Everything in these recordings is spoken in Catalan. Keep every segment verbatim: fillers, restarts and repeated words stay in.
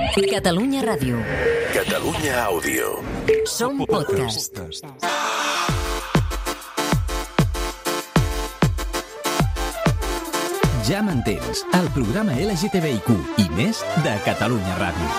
Catalunya Ràdio. Catalunya Àudio. Som podcast. Ja m'entens, el programa L G T B I Q i més de Catalunya Ràdio.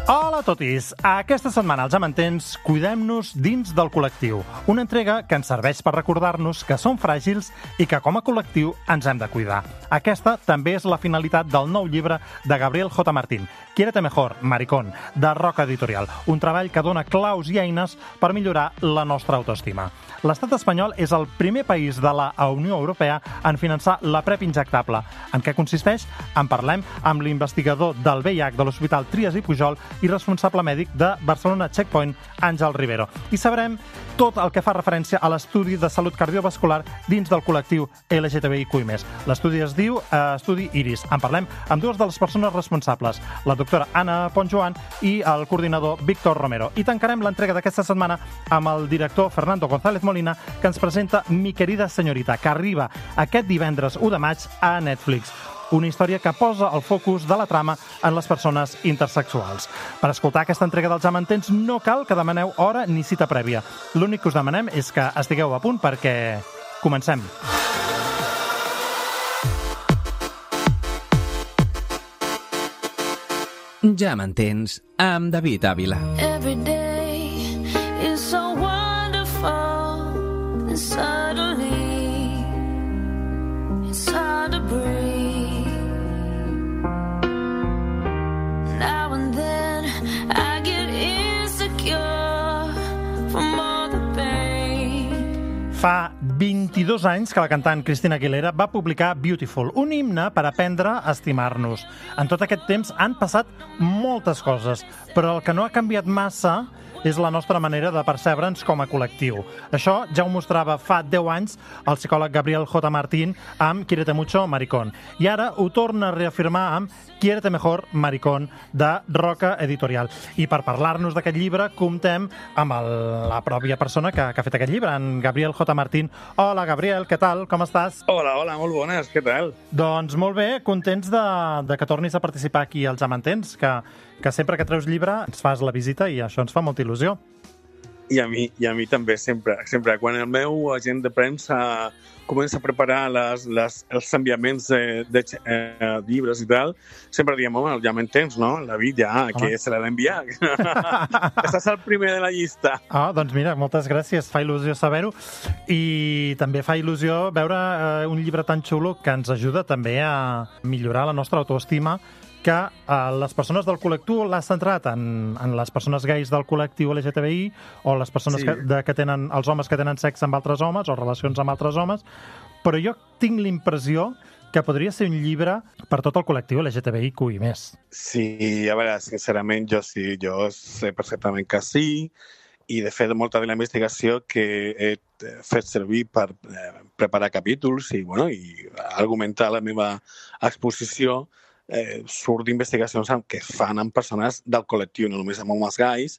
Hola a totis! Aquesta setmana, als Ja m'entens, cuidem-nos dins del col·lectiu. Una entrega que ens serveix per recordar-nos que som fràgils i que com a col·lectiu ens hem de cuidar. Aquesta també és la finalitat del nou llibre de Gabriel J. Martín, Quiérete Mejor, Maricón, de Roca Editorial. Un treball que dona claus i eines per millorar la nostra autoestima. L'estat espanyol és el primer país de la Unió Europea en finançar la PrEP injectable. En què consisteix? En parlem amb l'investigador del V I H de l'Hospital Trias i Pujol i responsable mèdic de Barcelona Checkpoint, Àngel Rivero. I sabrem tot el que fa referència a l'estudi de salut cardiovascular dins del col·lectiu L G T B I Q i més. L'estudi es diu eh, Estudi Iris. En parlem amb dues de les persones responsables, la doctora Anna Pontjoan i el coordinador Víctor Romero. I tancarem l'entrega d'aquesta setmana amb el director Fernando González Molina, que ens presenta Mi querida señorita, que arriba aquest divendres u de maig a Netflix. Una història que posa el focus de la trama en les persones intersexuals. Per escoltar aquesta entrega dels Ja m'entens no cal que demaneu hora ni cita prèvia. L'únic que us demanem és que estigueu a punt perquè comencem. Ja m'entens, amb David Ávila. Every day is so wonderful and suddenly it's hard to breathe. Now and then I get insecure from all the pain. Fa vint-i-dos anys que la cantant Christina Aguilera va publicar Beautiful, un himne per aprendre a estimar-nos. En tot aquest temps han passat moltes coses, però el que no ha canviat massa és la nostra manera de percebre'ns com a col·lectiu. Això ja ho mostrava fa deu anys el psicòleg Gabriel J. Martín amb Quiérete Mucho, Maricón. I ara ho torna a reafirmar amb Quiérete Mejor, Maricón, de Roca Editorial. I per parlar-nos d'aquest llibre comptem amb el, la pròpia persona que, que ha fet aquest llibre, en Gabriel J. Martín. Hola, Gabriel, què tal? Com estàs? Hola, hola, molt bones, què tal? Doncs molt bé, contents de, de que tornis a participar aquí als Ja m'entens, que, que sempre que treus llibre ens fas la visita i això ens fa molta il·lusió. I a mi, i a mi també, sempre. sempre. Quan el meu agent de premsa comença a preparar les, les, els enviaments de, de eh, llibres i tal, sempre diem, home, ja m'entens, no? La David ja, home, que se l'ha d'enviar. Estàs el primer de la llista. Ah, doncs mira, moltes gràcies, fa il·lusió saber-ho. I també fa il·lusió veure eh, un llibre tan xulo que ens ajuda també a millorar la nostra autoestima, que eh, les persones del col·lectiu l'ha centrat en, en les persones gais del col·lectiu L G T B I o les persones sí. que, de, que tenen, els homes que tenen sexe amb altres homes o relacions amb altres homes, però jo tinc l'impressió que podria ser un llibre per tot el col·lectiu L G T B I Q i més. Sí, a veure, sincerament, jo sí, jo sé perfectament que sí, i de fet molta de la investigació que he fet servir per eh, preparar capítols i, bueno, i argumentar la meva exposició Eh, surt d'investigacions que es fan amb persones del col·lectiu, no només amb homes gais,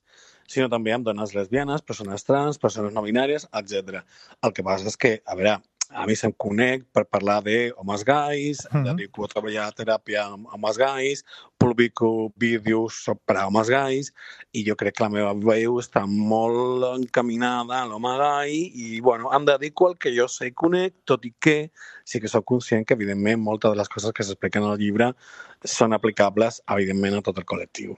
sinó també amb dones lesbianes, persones trans, persones no binàries, etcètera. El que passa és que, a veure, a mi se'm conec per parlar d'homes gais, mm-hmm. dedico a treballar a teràpia amb homes gais, publico vídeos per a homes gais, i jo crec que la meva veu està molt encaminada a l'home gai, i, bueno, em dedico al que jo sé i conec, tot i que sí que soc conscient que, evidentment, moltes de les coses que s'expliquen al llibre són aplicables, evidentment, a tot el col·lectiu.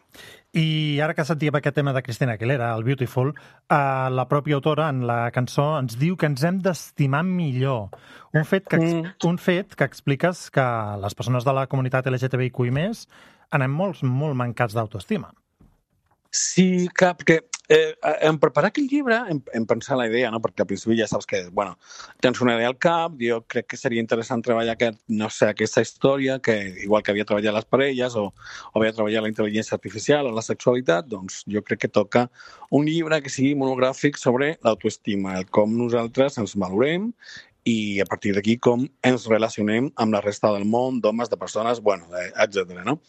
I ara que sentíem aquest tema de Christina Aguilera, el Beautiful, eh, la pròpia autora en la cançó ens diu que ens hem d'estimar millor. Un fet que, mm. un fet que expliques que les persones de la comunitat L G T B I Q i més anem molt, molt mancats d'autoestima. Sí, que, perquè eh, en preparar aquell llibre em, em pensar la idea, no? Perquè al principi ja saps que, bueno, tens una idea al cap, jo crec que seria interessant treballar aquest, no sé, aquesta història, que igual que havia treballat les parelles o, o havia treballat la intel·ligència artificial o la sexualitat, doncs jo crec que toca un llibre que sigui monogràfic sobre l'autoestima, el com nosaltres ens valorem i a partir d'aquí com ens relacionem amb la resta del món, d'homes, de persones, bueno, etcètera, no?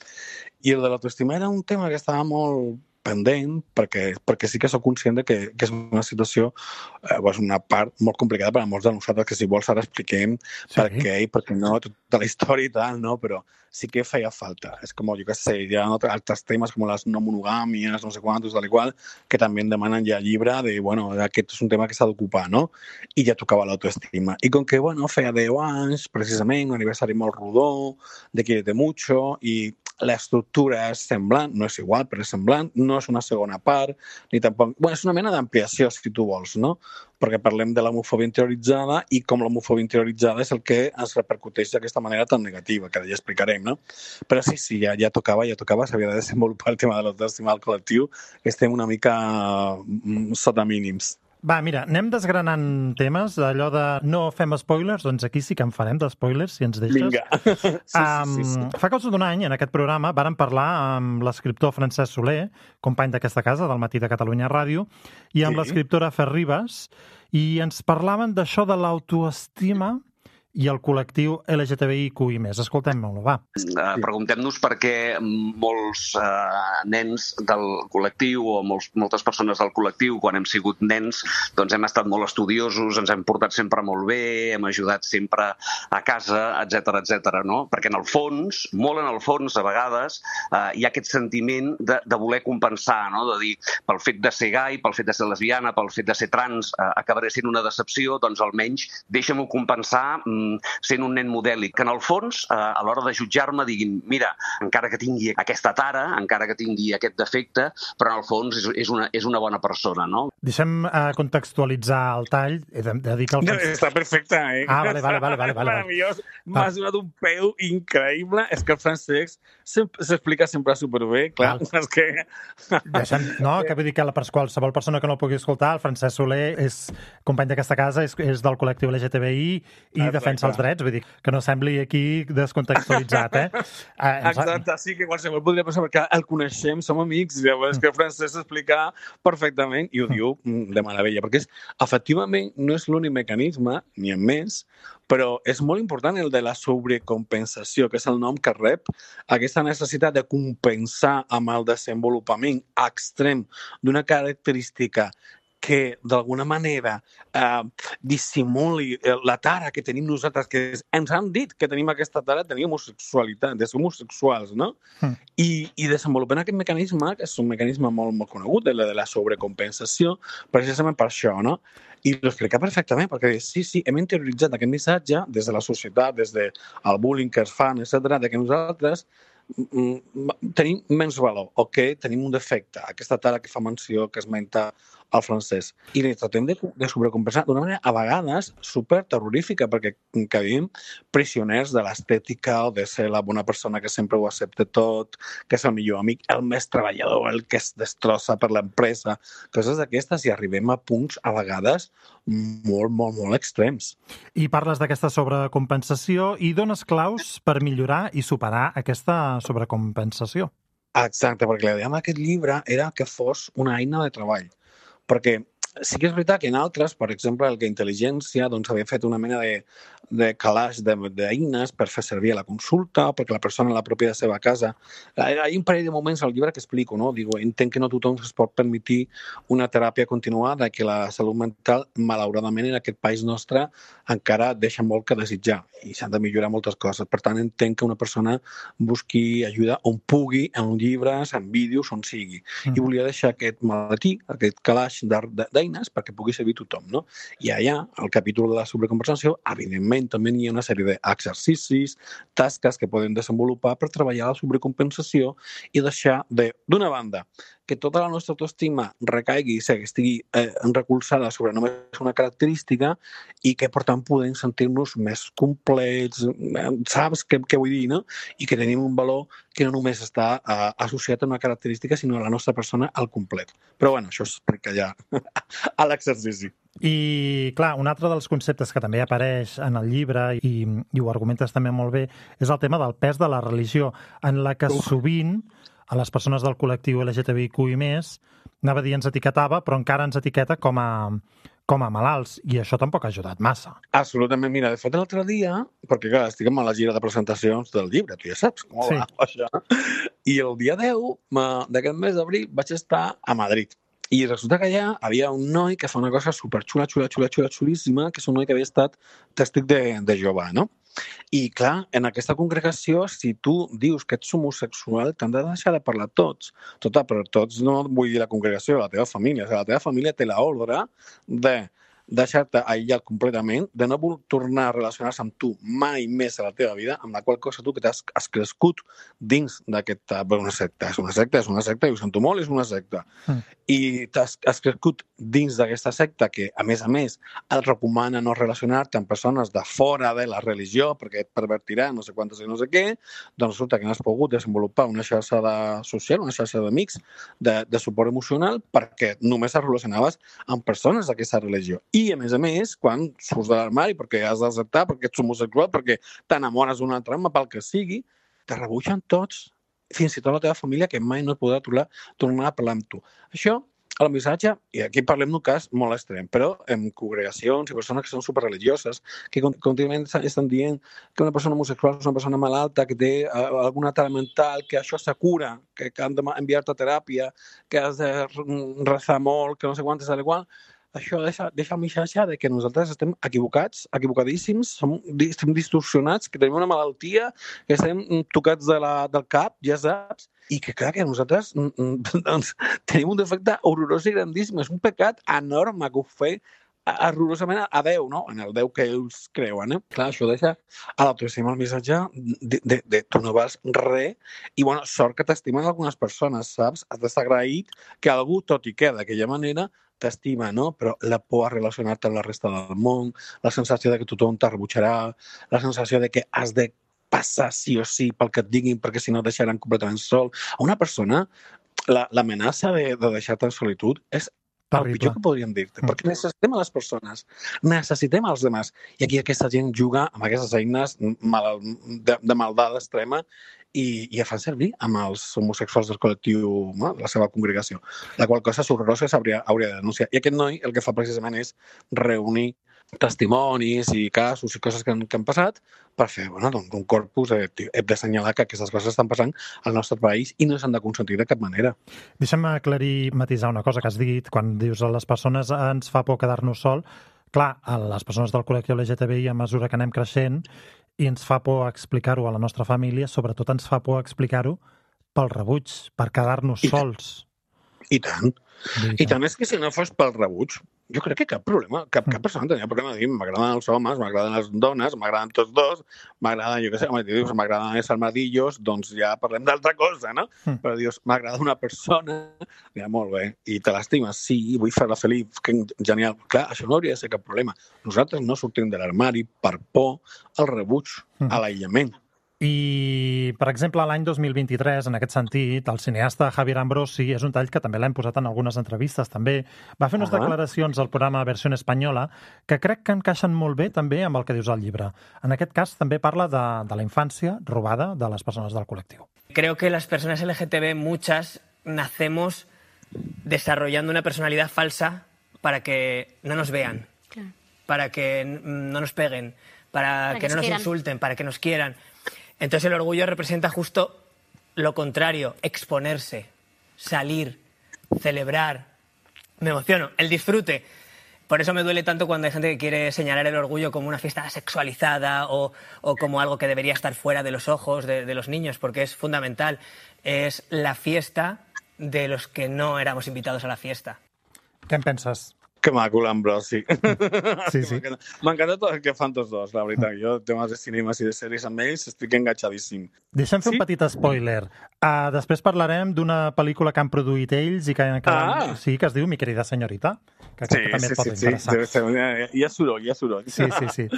I el de l'autoestima era un tema que estava molt pendent, perquè, perquè sí que sóc conscient de que, que és una situació, eh, és una part molt complicada per a molts de nosaltres, que si vols ara expliquem sí. per què i per què no, tota la història i tal, no? Però sí que feia falta. És com, jo què sé, hi ha altres temes com les no monogàmies, no sé quantos, tal i qual, que també em demanen ja llibre de, bueno, aquest és un tema que s'ha d'ocupar, no? I ja tocava l'autoestima. I com que, bueno, feia deu anys, precisament, un aniversari molt rodó, de Quiérete mucho, i l'estructura és semblant, no és igual, però és semblant, no és una segona part, ni tampoc... Bueno, és una mena d'ampliació, si tu vols, no? Perquè parlem de l'homofòbia interioritzada i com l'homofòbia interioritzada és el que es repercuteix d'aquesta manera tan negativa, que ja explicarem, no? Però sí, sí, ja, ja tocava, ja tocava, s'havia de desenvolupar el tema de l'autoestima al col·lectiu, que estem una mica sota mínims. Va, mira, anem desgranant temes, allò de no fem spoilers, doncs aquí sí que en farem de spoilers, si ens deixes. Vinga. Sí, um, sí, sí, sí. Fa cosa d'un any, en aquest programa, vàrem parlar amb l'escriptor Francesc Soler, company d'aquesta casa, del Matí de Catalunya Ràdio, i amb sí. l'escriptora Fer Ribas, i ens parlaven d'això de l'autoestima i el col·lectiu L G T B I Q I més. Escoltem-lo, va. Uh, Preguntem-nos per què molts uh, nens del col·lectiu o molts, moltes persones del col·lectiu, quan hem sigut nens, doncs hem estat molt estudiosos, ens hem portat sempre molt bé, hem ajudat sempre a casa, etcètera, etcètera, no? Perquè en el fons, molt en el fons, a vegades, uh, hi ha aquest sentiment de, de voler compensar, no? De dir, pel fet de ser gai, pel fet de ser lesbiana, pel fet de ser trans, uh, acabaré sent una decepció, doncs almenys deixa'm-ho compensar sent un nen modèlic, que en el fons, eh, a l'hora de jutjar-me, diguin, mira, encara que tingui aquesta tara, encara que tingui aquest defecte, però en el fons és, és, una, és una bona persona, no? Deixem uh, contextualitzar el tall. He de, de dir que el no, està perfecte, eh? Ah, vale, vale, vale. vale, vale. Meravellós. M'has donat un peu increïble. És que el francès s'explica sempre superbé, clar. Val. És que... Deixem, no, que vull dir que la, per qualsevol persona que no el pugui escoltar, el Francesc Soler és company d'aquesta casa, és, és del col·lectiu L G T B I i defensa els drets, vull dir, que no sembli aquí descontextualitzat, eh? eh Exacte, sí, que qualsevol podria pensar, perquè el coneixem, som amics, llavors que el francès s'explica perfectament i ho diu de meravella, perquè és, efectivament no és l'únic mecanisme, ni en més, però és molt important el de la sobrecompensació, que és el nom que rep, aquesta necessitat de compensar amb el desenvolupament extrem d'una característica que d'alguna manera eh, dissimuli la tara que tenim nosaltres, que ens han dit que tenim aquesta tara, tenim homosexualitat, de ser homosexuals, no? Mm. I, i desenvolupant aquest mecanisme, que és un mecanisme molt, molt conegut, de la, de la sobrecompensació, precisament per això, no? I ho explica perfectament, perquè sí, sí, hem interioritzat aquest missatge des de la societat, des del bullying que es fan, etcètera, de que nosaltres tenim menys valor o que tenim un defecte, aquesta tara que fa menció, que esmenta el francès. I li tratem de, de sobrecompensar d'una manera a vegades super terrorífica, perquè que vivim prisioners de l'estètica o de ser la bona persona que sempre ho accepta tot, que és el millor amic, el més treballador, el que es destrossa per l'empresa, coses d'aquestes, i arribem a punts a vegades molt, molt, molt extrems. I parles d'aquesta sobrecompensació i dones claus per millorar i superar aquesta sobrecompensació. Exacte, perquè la idea amb aquest llibre era que fos una eina de treball. Perquè sí que és veritat que en altres, per exemple, el que Intel·ligència doncs, havia fet una mena de, de calaix d'eines per fer servir a la consulta, perquè la persona a la pròpia de seva casa... Hi ha un parell de moments al llibre que explico, no? Digo, entenc que no tothom es pot permetre una teràpia continuada, que la salut mental, malauradament, en aquest país nostre, encara deixa molt que desitjar i s'han de millorar moltes coses. Per tant, entenc que una persona busqui ajuda on pugui, en llibres, en vídeos, on sigui. Mm. I volia deixar aquest maletí, aquest calaix d'eines perquè pugui servir tothom, no? I allà, al capítol de la sobrecompensació, evidentment, també hi ha una sèrie d'exercicis, tasques que poden desenvolupar per treballar la sobrecompensació i deixar de, d'una banda, que tota la nostra autoestima recaigui i estigui eh, recolzada sobre només una característica i que, per tant, podem sentir-nos més complets, saps què, què vull dir, no? I que tenim un valor que no només està eh, associat a una característica, sinó a la nostra persona al complet. Però, bueno, això s'explica ja a l'exercici. I, clar, un altre dels conceptes que també apareix en el llibre, i, i ho argumentes també molt bé, és el tema del pes de la religió, en la que Uf. sovint a les persones del col·lectiu L G T B I Q i més, anava a dir ens etiquetava, però encara ens etiqueta com a, com a malalts, i això tampoc ha ajudat massa. Absolutament. Mira, de fet, l'altre dia, perquè clar, estic amb la gira de presentacions del llibre, tu ja saps com Sí. va això, i el dia deu ma- d'aquest mes d'abril vaig estar a Madrid. I resulta que allà havia un noi que fa una cosa superxula, xula, xula, xula, xulíssima, que és un noi que havia estat tèstic de, de Jehovà, no? I, clar, en aquesta congregació, si tu dius que ets homosexual, t'han de deixar de parlar tots. Tota, però tots no vull dir la congregació, la teva família. O sigui, la teva família té l'ordre de deixar-te aïllat completament, de no voler tornar a relacionar-se amb tu mai més a la teva vida, amb la qual cosa tu que t'has has crescut dins d'aquesta... Bé, una secta, és una secta, és una secta, i ho sento molt, és una secta. Mm. I t'has has crescut dins d'aquesta secta que, a més a més, et recomana no relacionar-te amb persones de fora de la religió perquè et pervertirà no sé quantes i no sé què, doncs resulta que no has pogut desenvolupar una xarxa de social, una xarxa d'amics, de, de suport emocional, perquè només et relacionaves amb persones d'aquesta religió. I, a més a més, quan surts de l'armari perquè has d'acceptar, perquè ets homosexual, perquè t'enamores d'un altre home, pel que sigui, te rebutgen tots, fins i tot la teva família, que mai no et podrà tornar, tornar a parlar amb tu. Això, el missatge, i aquí parlem d'un cas molt extrem, però en congregacions i persones que són superreligioses, que contínuament estan dient que una persona homosexual és una persona malalta, que té uh, alguna tara mental, que això se cura, que, que han d'enviar-te a teràpia, que has de rezar molt, que no sé quantes, tal i qual. Això deixa, deixa el missatge de que nosaltres estem equivocats, equivocadíssims, som, estem distorsionats, que tenim una malaltia, que estem tocats de la, del cap, ja saps, i que clar que nosaltres doncs, tenim un defecte horrorós i grandíssim, és un pecat enorme que ho fer horrorosament a Déu, no? En el Déu que ells creuen, eh? Clar, això deixa a l'autoestima el missatge de, de, de tu no vals res i, bueno, sort que t'estimen algunes persones, saps? Has d'estar agraït que algú, tot i que d'aquella manera, t'estima, no? Però la por a relacionar-te amb la resta del món, la sensació de que tothom te rebutjarà, la sensació de que has de passar sí o sí pel que et diguin perquè si no et deixaran completament sol. A una persona, l'amenaça de, de deixar-te en solitud és el pitjor que podríem dir-te, perquè necessitem a les persones, necessitem als demás. I aquí aquesta gent juga amb aquestes eines mal, de, de maldat extrema i, i fan servir amb els homosexuals del col·lectiu, no? La seva congregació. La qual cosa és horrorosa i s'hauria hauria de denunciar. I aquest noi el que fa precisament és reunir testimonis i casos i coses que han, que han passat per fer bueno, doncs un corpus de, hem d'assenyalar que aquestes coses estan passant al nostre país i no s'han de consentir de cap manera. Deixa'm aclarir, matisar una cosa que has dit quan dius a les persones ens fa por quedar-nos sol. Clar, a les persones del col·lectiu L G T B I a mesura que anem creixent i ens fa por explicar-ho a la nostra família, sobretot ens fa por explicar-ho pel rebuig, per quedar-nos I sols. I tant. I tant és que si no fos pel rebuig, jo crec que cap problema, cap, cap persona tenia problema de dir m'agraden els homes, m'agraden les dones, m'agraden tots dos, m'agraden, jo què sé, dius, m'agraden els armadillos, doncs ja parlem d'altra cosa, no? Mm. Però dius, m'agrada una persona, ja molt bé, i te l'estimes, sí, vull fer-la feliç, que genial. Clar, això no hauria de ser cap problema. Nosaltres no sortim de l'armari per por al rebuig, mm. a l'aïllament. I, per exemple, l'any dos mil vint-i-tres, en aquest sentit, el cineasta Javier Ambrosi, és un tall que també l'hem posat en algunes entrevistes, també, va fer unes uh-huh. declaracions al programa Versió Espanyola que crec que encaixen molt bé també amb el que dius al llibre. En aquest cas també parla de, de la infància robada de les persones del col·lectiu. Creo que las personas L G T B, muchas, nacemos desarrollando una personalidad falsa para que no nos vean, claro. para que no nos peguen, para, para que, que no nos quieran. insulten, para que nos quieran. Entonces el orgullo representa justo lo contrario, exponerse, salir, celebrar. Me emociono, el disfrute. Por eso me duele tanto cuando hay gente que quiere señalar el orgullo como una fiesta sexualizada o, o como algo que debería estar fuera de los ojos de, de los niños, porque es fundamental. Es la fiesta de los que no éramos invitados a la fiesta. ¿Qué en penses? Que maco l'Ambrosi. Sí, sí. M'encanta tot el que fan tots dos, la veritat. Jo, temes de cinemes i de sèries amb ells, estic enganxadíssim. Deixa'm fer sí? un petit spoiler. Uh, després parlarem d'una pel·lícula que han produït ells i que, que, ah. sí, que es diu Mi querida señorita, que, sí, que també sí, et pot sí, interessar. Sí, sí. Hi ha soroll, hi ha soroll. Sí, sí, sí.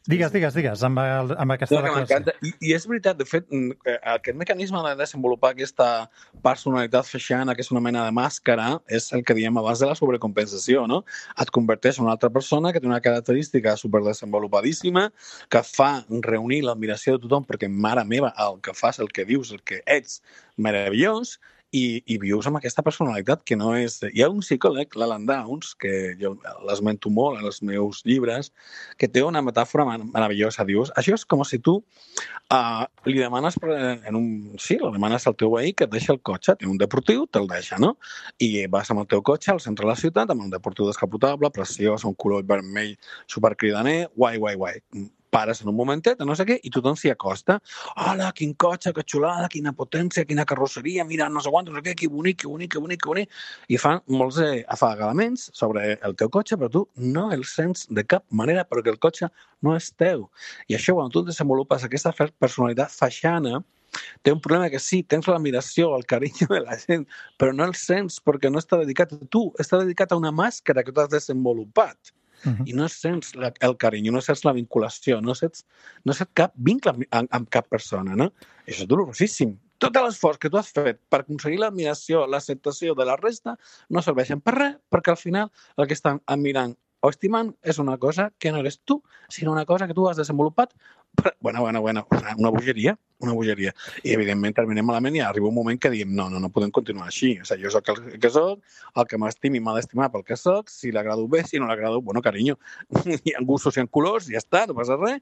Digues, digues, digues, amb, el, amb aquesta no, declaració. I, I és veritat, de fet, aquest mecanisme de desenvolupar aquesta personalitat feixana, que és una mena de màscara, és el que diem abans de la sobrecompensació, no? Et converteix en una altra persona que té una característica superdesenvolupadíssima, que fa reunir l'admiració de tothom, perquè, mare meva, el que fas, el que dius, el que ets, meravellós, i, i vius amb aquesta personalitat que no és... Hi ha un psicòleg, l'Alan Downs, que jo l'esmento molt en els meus llibres, que té una metàfora meravellosa. Dius, això és com si tu uh, li demanes, en un, sí, li demanes al teu veí que et deixi el cotxe, té un deportiu, te'l deixa, no? I vas amb el teu cotxe al centre de la ciutat, amb un deportiu descapotable, preciós, un color vermell supercridaner, guai, guai, guai. Pares en un momentet, no sé què, i tothom s'hi acosta. Hola, quin cotxe, que xulada, quina potència, quina carrosseria, mira, no sé quant, no sé què, que bonic, que bonic, que bonic, que bonic. I fan molts eh, afagalaments sobre el teu cotxe, però tu no el sents de cap manera perquè el cotxe no és teu. I això, quan tu desenvolupes aquesta personalitat faixana, té un problema que sí, tens l'admiració, el carinyo de la gent, però no el sents perquè no està dedicat a tu, està dedicat a una màscara que tu has desenvolupat. Uh-huh. I no sents la, el carinyo, no sents la vinculació, no sents, no sents cap vincle amb, amb cap persona, no? I això és dolorosíssim. Tot l'esforç que tu has fet per aconseguir l'admiració, l'acceptació de la resta, no serveixen per res, perquè al final el que estan admirant o estimant és una cosa que no eres tu, sinó una cosa que tu has desenvolupat. Però, bueno, bueno, bueno, una bogeria, una bogeria. I, evidentment, terminem malament i arriba un moment que diem no, no, no podem continuar així. O sigui, jo soc el que soc, el que m'estimi m'ha d'estimar pel que soc, si l'agrado bé, si no l'agrado, bueno, carinyo, hi ha gustos, hi ha colors, ja està, no passa res,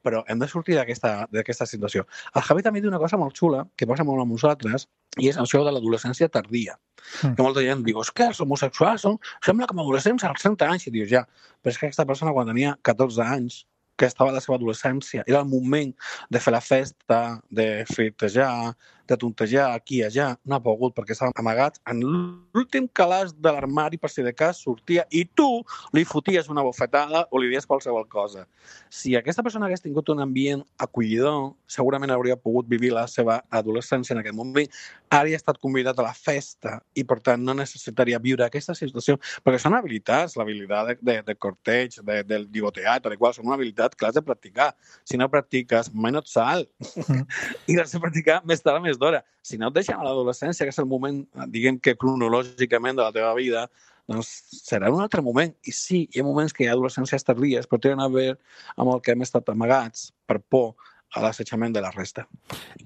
però hem de sortir d'aquesta situació. El Javi també diu una cosa molt xula, que passa molt amb nosaltres, i és això de l'adolescència tardia. Mm. Que molta gent diu, és que els homosexuals són, sembla com adolescents als trenta anys, i dius, ja, però és que aquesta persona quan tenia catorze anys, que estava a la seva adolescència, era el moment de fer la festa, de flirtejar, de tontejar aquí i allà, no ha pogut perquè estava amagat en l'últim calaix de l'armari per si de cas sortia i tu li foties una bofetada o li dies qualsevol cosa. Si aquesta persona hagués tingut un ambient acollidor, segurament hauria pogut vivir la seva adolescència en aquest moment, hauria estat convidat a la festa i per tant no necessitaria viure aquesta situació, perquè són habilitats, l'habilitat de, de, de corteig, de, del lligoteat, de qual són una habilitat que l'has de practicar. Si no practiques, mai no et sal. Mm. I l'has de practicar més tard o més d'hora. Si no et deixen a l'adolescència, que és el moment, diguem que cronològicament de la teva vida, doncs serà un altre moment. I sí, hi ha moments que hi ha adolescències tardíes, però tenen a veure amb el que hem estat amagats per por a l'assetjament de la resta.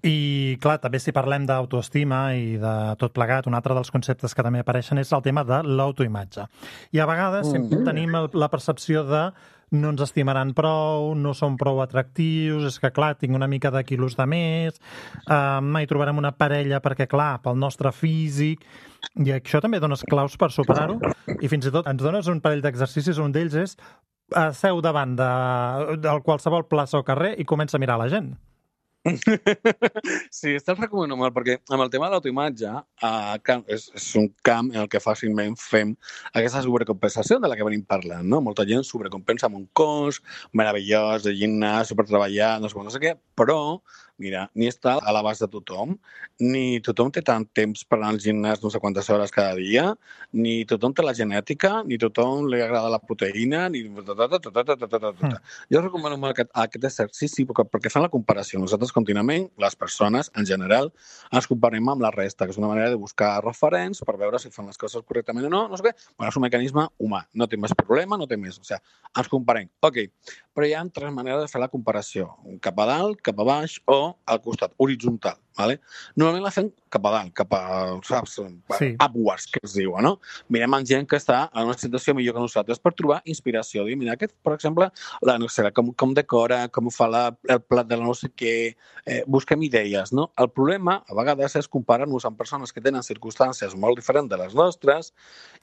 I, clar, també si parlem d'autoestima i de tot plegat, un altre dels conceptes que també apareixen és el tema de l'autoimatge. I a vegades mm. sempre tenim el, la percepció de no ens estimaran prou, no som prou atractius, és que, clar, tinc una mica de quilos de més, eh, mai trobarem una parella perquè, clar, pel nostre físic, i això també dones claus per superar-ho, i fins i tot ens dones un parell d'exercicis, un d'ells és eh, seu davant de, de qualsevol plaça o carrer i comença a mirar la gent. Sí, te'l recomano molt, perquè amb el tema de l'autoimatge uh, és, és un camp en el que fàcilment fem aquesta sobrecompensació de la que venim parlant, no? Molta gent sobrecompensa amb un cos meravellós, de gimnàs, supertreballat, no sé, no sé què, però mira, ni està a l'abast de tothom, ni tothom té tant temps per anar al gimnàs no sé quantes hores cada dia, ni tothom té la genètica, ni tothom li agrada la proteïna, ni... Mm. Jo recomano molt aquest, aquest exercici perquè, perquè fan la comparació. Nosaltres contínuament, les persones, en general, ens comparem amb la resta, que és una manera de buscar referents per veure si fan les coses correctament o no, no sé què. Bueno, és un mecanisme humà, no té més problema, no té més. O sigui, ens comparem. Ok, però hi ha tres maneres de fer la comparació. Cap a dalt, cap a baix o al costat, horitzontal. Vale? Normalment la fem cap a dalt, cap a, saps, sí. upwards, que es diu, no? Mirem en gent que està en una situació millor que nosaltres per trobar inspiració. Dir, mira, aquest, per exemple, la, no sé, com, com decora, com fa la, el plat de la no sé què, eh, busquem idees, no? El problema, a vegades, és comparar-nos amb persones que tenen circumstàncies molt diferents de les nostres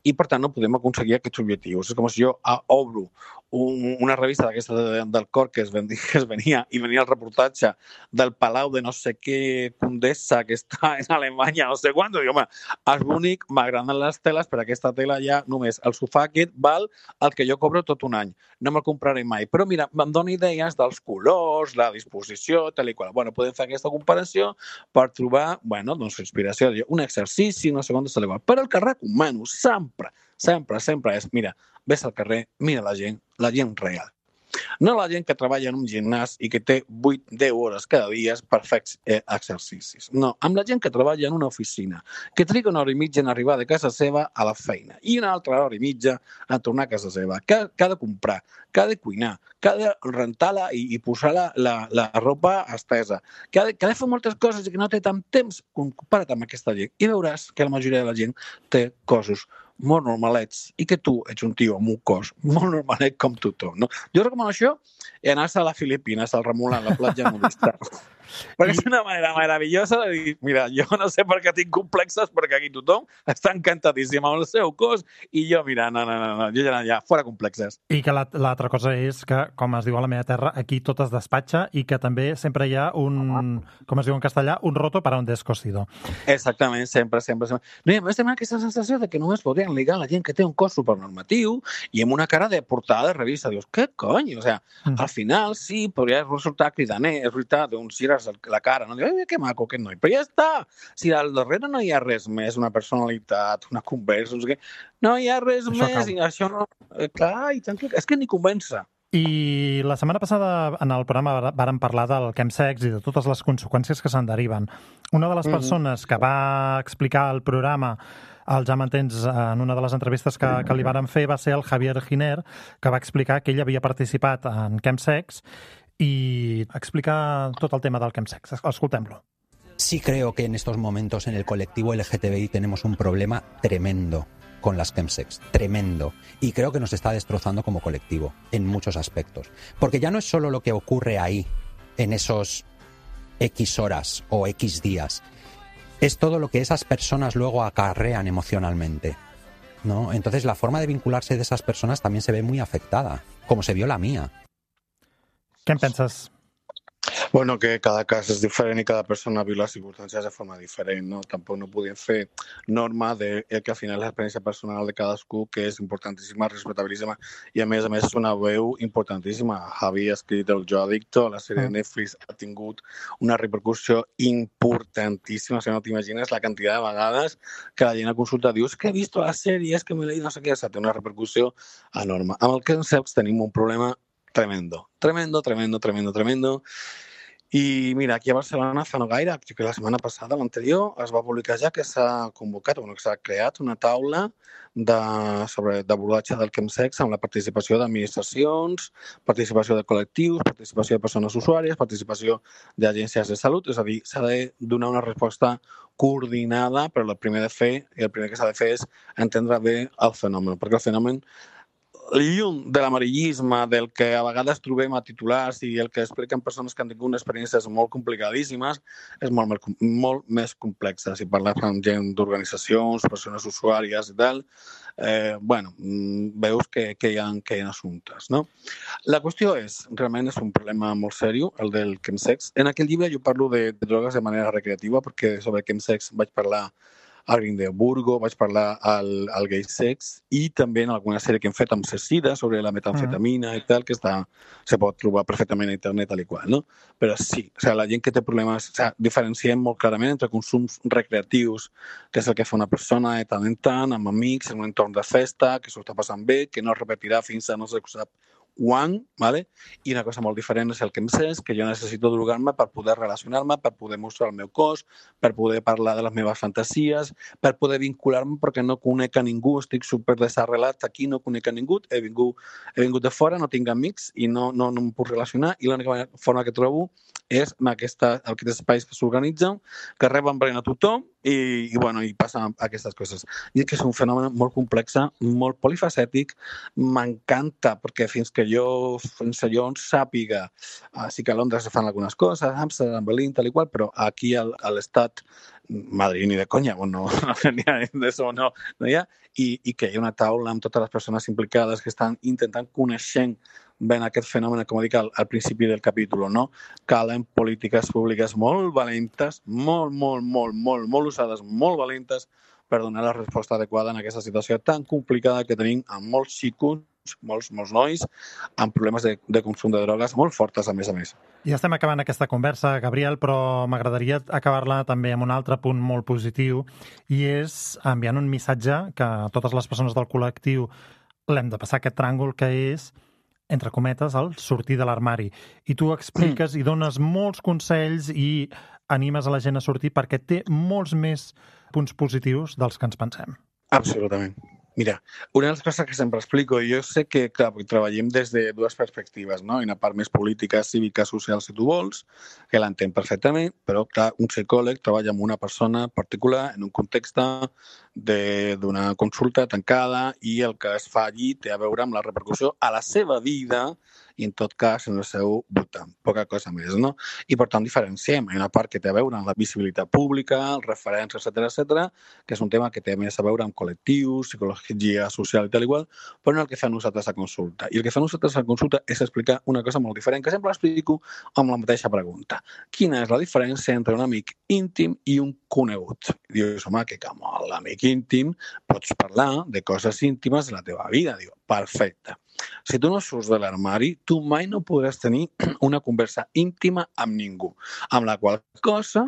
i, per tant, no podem aconseguir aquests objectius. És com si jo obro un, una revista d'aquesta de, del cor que es, venia, que es venia i venia el reportatge del Palau de no sé què Condessa que està en Alemanya, no sé quant, i home, és bonic, m'agraden les teles, però aquesta tela ja només, el sofà aquest val el que jo cobro tot un any, no me'l compraré mai, però mira, em dona idees dels colors, la disposició, tal i qual. Bueno, podem fer aquesta comparació per trobar, bueno, doncs, inspiració, un exercici, no sé quant, però el que recomano sempre, sempre, sempre és, mira, ves al carrer, mira la gent, la gent real. No la gent que treballa en un gimnàs i que té vuit deu hores cada dia per fer eh, exercicis. No, amb la gent que treballa en una oficina, que triga una hora i mitja en arribar de casa seva a la feina i una altra hora i mitja a tornar a casa seva, que, que ha de comprar, que ha de cuinar, que ha de rentar-la i, i posar la, la, la roba estesa, que ha, de, que ha de fer moltes coses i que no té tant temps comparat amb aquesta gent. I veuràs que la majoria de la gent té coses molt normalets i que tu ets un tio amb un cos molt normalet com tothom, no? Jo recomano això i anar-se a les Filipines, al Remolar, a la platja nudista. Perquè és una manera meravellosa de dir, mira, jo no sé per què tinc complexes, perquè aquí tothom està encantadíssim amb el seu cos i jo, mira, no, no, no, no jo ja, ja, fora complexes. I que l'altra cosa és que, com es diu a la meva terra, aquí tot es despatxa i que també sempre hi ha un, com es diu en castellà, un roto para un descosido. Exactament, sempre, sempre. sempre. No, i a més tenim aquesta sensació de que només podrien ligar la gent que té un cos supernormatiu i amb una cara de portada de revista. Dius, què cony? O sea, mm. al final sí, podria resultar cridaner, és veritat, d'uns gires la cara, no? Diu, que maco aquest noi, però ja està. Si al darrere no hi ha res més, una personalitat, una conversa, no sé què, no hi ha res això més, cal. I això no... Eh, clar, i tant que... És que ni convença. I la setmana passada en el programa vàrem parlar del chemsex i de totes les conseqüències que se'n deriven. Una de les persones mm-hmm. que va explicar el programa al Ja m'entens en una de les entrevistes que, que li varen fer va ser el Javier Giner, que va explicar que ell havia participat en chemsex y explica todo el tema del chemsex. Escoltem-lo. Sí creo que en estos momentos en el colectivo L G T B I tenemos un problema tremendo con las chemsex, tremendo. Y creo que nos está destrozando como colectivo en muchos aspectos. Porque ya no es solo lo que ocurre ahí, en esos X horas o X días. Es todo lo que esas personas luego acarrean emocionalmente, ¿no? Entonces la forma de vincularse de esas personas también se ve muy afectada, como se vio la mía. Què en penses? Bueno, que cada cas és diferent i cada persona viu les circumstàncies de forma diferent, no? Tampoc no podíem fer norma de que al final l'experiència personal de cadascú, que és importantíssima, respectabilíssima, i a més a més és una veu importantíssima. Javi ha escrit el Jo Adicto, la sèrie de Netflix ha tingut una repercussió importantíssima, si no t'imagines la quantitat de vegades que la gent a consulta diu, és que he vist la sèrie, és que m'he leído no sé què, té una repercussió enorme. Amb el chemsex tenim un problema tremendo, tremendo, tremendo, tremendo, tremendo. I mira, aquí a Barcelona fa no gaire, que la setmana passada, l'anterior, es va publicar ja que s'ha convocat, bueno, que s'ha creat una taula de, sobre d'abordatge del chemsex amb la participació d'administracions, participació de col·lectius, participació de persones usuàries, participació d'agències de salut, és a dir, s'ha de donar una resposta coordinada, però el primer de fer, i el primer que s'ha de fer és entendre bé el fenomen, perquè el fenomen lluny de l'amarillisme, del que a vegades trobem a titulars i el que expliquen persones que han tingut experiències molt complicadíssimes, és molt, molt més complexa. Si parles amb gent d'organitzacions, persones usuàries i tal, eh, bueno, veus que, que, hi ha, que hi ha assumptes, no? La qüestió és, realment és un problema molt seriós, el del chemsex. En aquell llibre jo parlo de, de drogues de manera recreativa, perquè sobre chemsex vaig parlar al Grindelburgo, vaig parlar al, al Gay Sex i també en alguna sèrie que hem fet amb Cecida sobre la metamfetamina uh-huh. i tal, que està, se pot trobar perfectament a internet tal i qual, no? Però sí, o sigui, la gent que té problemes, o sigui, diferenciem molt clarament entre consums recreatius, que és el que fa una persona de tant en tant, amb amics, en un entorn de festa, que s'ho està passant bé, que no es repetirà fins a no se sap quan, ¿vale? I una cosa molt diferent és el chemsex, que jo necessito drogar-me per poder relacionar-me, per poder mostrar el meu cos, per poder parlar de les meves fantasies, per poder vincular-me perquè no conec a ningú, estic super desarrelat aquí, no conec a ningú, he vingut, he vingut de fora, no tinc amics i no, no, no em puc relacionar i l'única forma que trobo és en aquesta, aquests espais que s'organitzen, que reben a tothom i, i, bueno, i passen aquestes coses. I és que és un fenomen molt complex, molt polifacètic, m'encanta perquè fins que jo, fins que jo sàpiga, uh, sí que a Londres se fan algunes coses, a Amsterdam, Berlín, tal i qual, però aquí a l'estat Madrid ni de conya, bueno, no n'hi ha d'això, no, no hi ha, i, i que hi ha una taula amb totes les persones implicades que estan intentant conèixer ben aquest fenomen, com dic al, al principi del capítol, no? Calen polítiques públiques molt valentes, molt, molt, molt, molt, molt usades, molt valentes per donar la resposta adequada en aquesta situació tan complicada que tenim amb molts xicos, molts, molts nois, amb problemes de, de consum de drogues molt fortes, a més a més. Ja estem acabant aquesta conversa, Gabriel, però m'agradaria acabar-la també amb un altre punt molt positiu i és enviant un missatge que a totes les persones del col·lectiu l'hem de passar aquest tràngol, que és entre cometes, el sortir de l'armari. I tu expliques i dones molts consells i animes a la gent a sortir perquè té molts més punts positius dels que ens pensem. Absolutament. Mira, una de les coses que sempre explico, jo sé que, clar, treballem des de dues perspectives, no? Una part més política, cívica, social, si tu vols, que l'entenc perfectament, però, clar, un psicòleg treballa amb una persona particular en un context d'una consulta tancada i el que es fa allí té a veure amb la repercussió a la seva vida i, en tot cas, en el seu voltant. Poca cosa més, no? I, per tant, diferenciem. Hi ha una part que té a veure amb la visibilitat pública, els referents, etcètera, etcètera, que és un tema que té més a veure amb col·lectius, psicologia social i tal igual, però no el que fem nosaltres a consulta. I el que fem nosaltres a consulta és explicar una cosa molt diferent, que sempre l'explico amb la mateixa pregunta. Quina és la diferència entre un amic íntim i un conegut? Dius, home, que com l'amic íntim pots parlar de coses íntimes de la teva vida. Diu, perfecte. Si tu no surts de l'armari, tu mai no podràs tenir una conversa íntima amb ningú, amb la qual cosa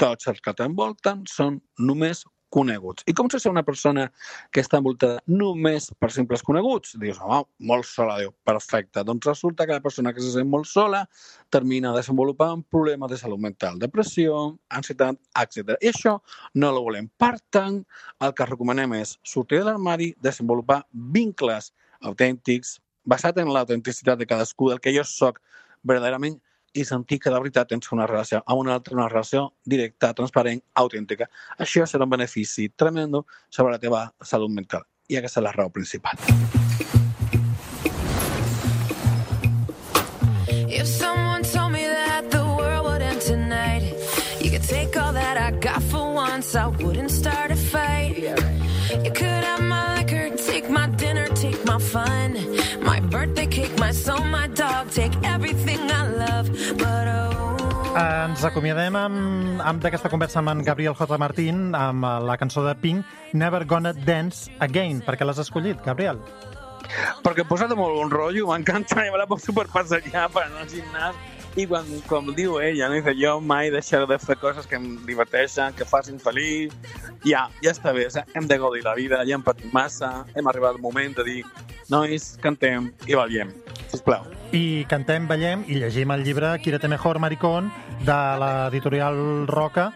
tots els que t'envolten són només coneguts. I com se ser una persona que està envoltada només per simples coneguts? Dius, home, molt sola. Diu, perfecte. Doncs resulta que la persona que se sent molt sola termina desenvolupant problemes de salut mental, depressió, ansietat, etcètera. I això no ho volem. Per tant, el que recomanem és sortir de l'armari, desenvolupar vincles autèntics, basat en l'autenticitat de cadascú, del que jo soc verdaderament, i sentir que de veritat tens una relació amb una altra, una relació directa, transparent, autèntica. Això serà un benefici tremendo sobre la teva salut mental. I aquesta és la raó principal. If someone told me that the world would end tonight, you could take all that I got for once, I wouldn't start a fight. You could have my liquor, take my dinner, take my fun, my birthday cake, my soul, my dog, take everything I love, but oh... Ens acomiadem amb, amb d'aquesta conversa amb en Gabriel J. Martín amb la cançó de Pink, Never Gonna Dance Again. Per què l'has escollit, Gabriel? Perquè em posa de molt bon rotllo, m'encanta, i me la poso per passejar, per anar al gimnàs. I quan, com diu ella, no? Dice, jo mai deixaré de fer coses que em diverteixen, que facin feliç. Ja, ja està bé, hem de gaudir la vida, ja hem patit massa, hem arribat al moment de dir, nois, cantem i ballem, sisplau. I cantem, ballem i llegim el llibre Quiérete Mejor, Maricón, de l'editorial Roca,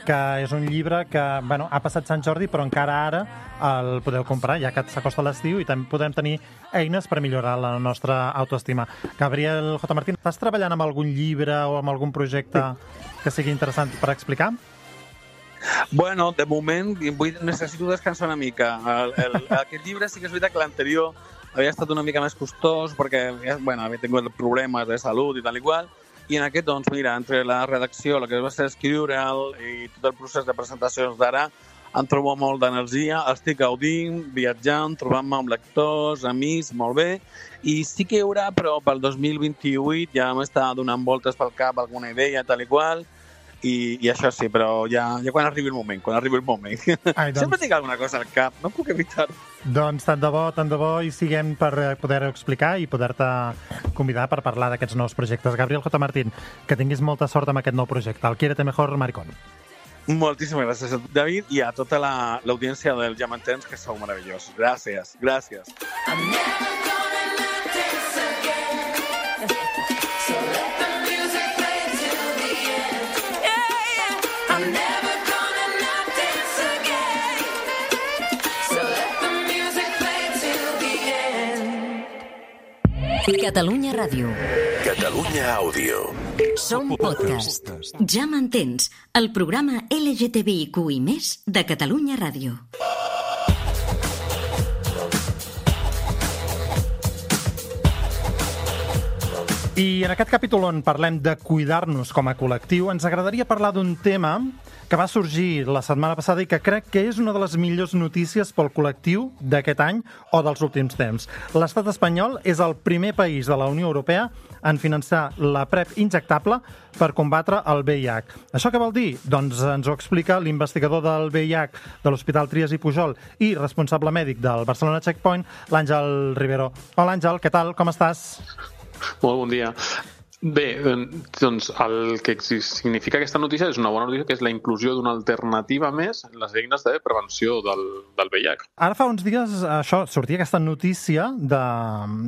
que és un llibre que, bueno, ha passat Sant Jordi, però encara ara el podeu comprar, ja que s'acosta l'estiu, i també podem tenir eines per millorar la nostra autoestima. Gabriel J. Martín, estàs treballant amb algun llibre o amb algun projecte que sigui interessant per explicar? Bueno, de moment vull, necessito descansar una mica. El, el, aquest llibre sí que és veritat que l'anterior havia estat una mica més costós perquè, bueno, havia tingut problemes de salut i tal i qual. I en aquest, doncs, mira, entre la redacció, el que va ser escriure'l i tot el procés de presentacions d'ara, em trobo molt d'energia, estic gaudint, viatjant, trobant-me amb lectors, amics, molt bé, i sí que hi haurà, però pel dos mil vint-i-vuit ja m'està donant voltes pel cap alguna idea, tal i qual, i, i això sí, però ja, ja quan arribi el moment, quan arribi el moment. Ai, doncs... Sempre tinc alguna cosa al cap, no puc evitar-ho. Doncs tant de bo, tant de bo hi siguem per poder-ho explicar i poder-te convidar per parlar d'aquests nous projectes. Gabriel J. Martín, que tinguis molta sort amb aquest nou projecte, el Quiérete Mejor, Maricón. Moltíssimes gràcies a David i a tota l'audiència la, del Diamantens, que sou meravellosos. Gràcies, gràcies. Catalunya Ràdio. Catalunya Àudio. Som podcast. Ja m'entens, el programa L G T B I Q i més de Catalunya Ràdio. I en aquest capítol on parlem de cuidar-nos com a col·lectiu, ens agradaria parlar d'un tema que va sorgir la setmana passada i que crec que és una de les millors notícies pel col·lectiu d'aquest any o dels últims temps. L'estat espanyol és el primer país de la Unió Europea en finançar la PrEP injectable per combatre el V I H. Això què vol dir? Doncs ens ho explica l'investigador del V I H de l'Hospital Trias i Pujol i responsable mèdic del Barcelona Checkpoint, l'Àngel Rivero. Hola, Àngel, què tal? Com estàs? Molt bon dia. Bé, doncs el que significa aquesta notícia és una bona notícia, que és la inclusió d'una alternativa més en les eines de prevenció del, del V I H. Ara fa uns dies això sortia aquesta notícia de,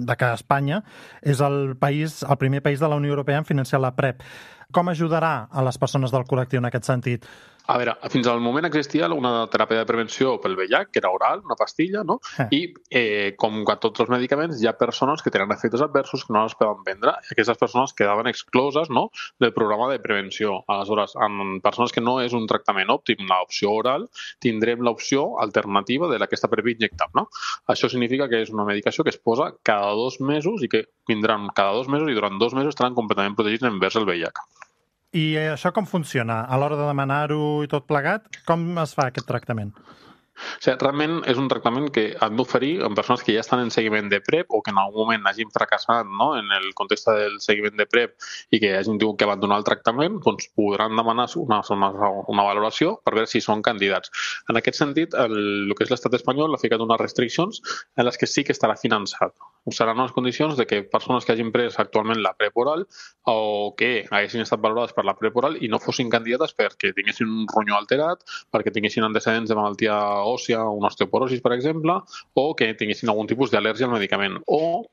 de que Espanya és el país, el primer país de la Unió Europea en financiar la PrEP. Com ajudarà a les persones del col·lectiu en aquest sentit? A veure, fins al moment existia una teràpia de prevenció pel V I H, que era oral, una pastilla, no? Eh. I eh, com a tots els medicaments, hi ha persones que tenen efectes adversos que no les poden prendre. Aquestes persones quedaven excloses, no?, del programa de prevenció. Aleshores, en persones que no és un tractament òptim, l'opció oral, tindrem l'opció alternativa de aquesta PrEP injectable. No? Això significa que és una medicació que es posa cada dos mesos i que vindran cada dos mesos i durant dos mesos estaran completament protegits envers el V I H. I això com funciona? A l'hora de demanar-ho i tot plegat, com es fa aquest tractament? O sigui, realment és un tractament que han d'oferir en persones que ja estan en seguiment de PrEP o que en algun moment hagin fracassat, no?, en el context del seguiment de PrEP i que hagin tingut que abandonar el tractament, doncs podran demanar una, una, una valoració per veure si són candidats. En aquest sentit, el, el que és l'estat espanyol ha ficat unes restriccions en les que sí que estarà finançat. Seran unes condicions de que persones que hagin pres actualment la PrEP oral o que haguessin estat valorades per la PrEP oral i no fossin candidates perquè tinguessin un ronyó alterat, perquè tinguessin antecedents de malaltia òssia, una osteoporosis, per exemple, o que tinguessin algun tipus d'al·lèrgia al medicament. O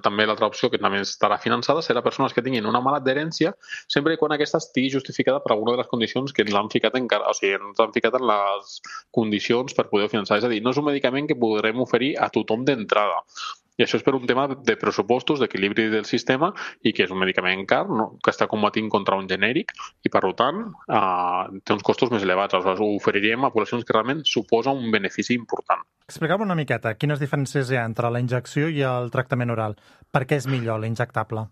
també l'altra opció, que també estarà finançada, serà persones que tinguin una mala adherència sempre quan aquesta estigui justificada per alguna de les condicions que l'han ficat encara, o sigui, ens han ficat en les condicions per poder finançar. És a dir, no és un medicament que podrem oferir a tothom d'entrada. I això és per un tema de pressupostos, d'equilibri del sistema, i que és un medicament car, no?, que està combatint contra un genèric i, per tant, eh, té uns costos més elevats. Aleshores, ho oferiríem a poblacions que realment suposa un benefici important. Explica'm una miqueta quines diferències hi ha entre la injecció i el tractament oral. Per què és millor l'injectable?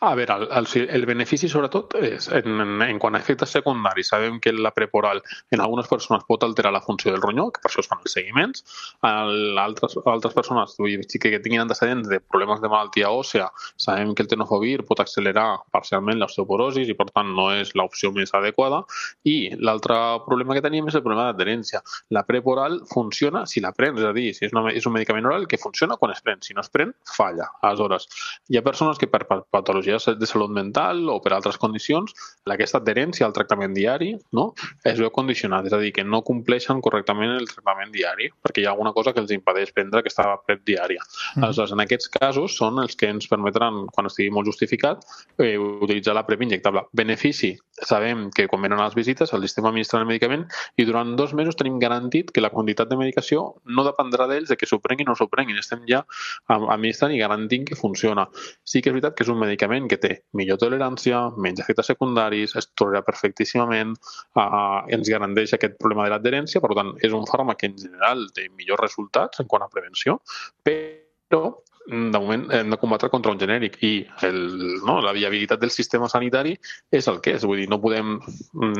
A veure, el, el, el benefici sobretot és en, en, en quant a efectes secundaris. Sabem que la PrEP oral en algunes persones pot alterar la funció del ronyó, que per això es fan els seguiments. En altres, altres persones sí que tinguin antecedents de problemes de malaltia òssea, sabem que el tenofovir pot accelerar parcialment l'osteoporosis i per tant no és l'opció més adequada. I l'altre problema que tenim és el problema d'adherència. La PrEP oral funciona si la prens, és a dir, si és, una, és un medicament oral que funciona quan es pren. Si no es pren, falla. Aleshores, hi ha persones que per, per patologies de salut mental o per altres condicions, aquesta adherència al tractament diari, no?, es veu condicionat, és a dir, que no compleixen correctament el tractament diari, perquè hi ha alguna cosa que els impedeix prendre aquesta PrEP diària. Mm. Aleshores, en aquests casos són els que ens permetran, quan estigui molt justificat, eh, utilitzar la PrEP injectable. Benefici, sabem que quan venen a les visites el sistema administra el medicament i durant dos mesos tenim garantit que la quantitat de medicació no dependrà d'ells de que s'ho prenguin o no s'ho prenguin. Estem ja administrant i garantint que funciona. Sí que és veritat que és un medicament que té millor tolerància, menys efectes secundaris, es tolerarà perfectíssimament, eh, ens garanteix aquest problema de l'adherència, per tant, és un fàrmac que en general té millors resultats en quant a prevenció, però de moment hem de combatre contra un genèric i el, no, la viabilitat del sistema sanitari és el que és, vull dir, no podem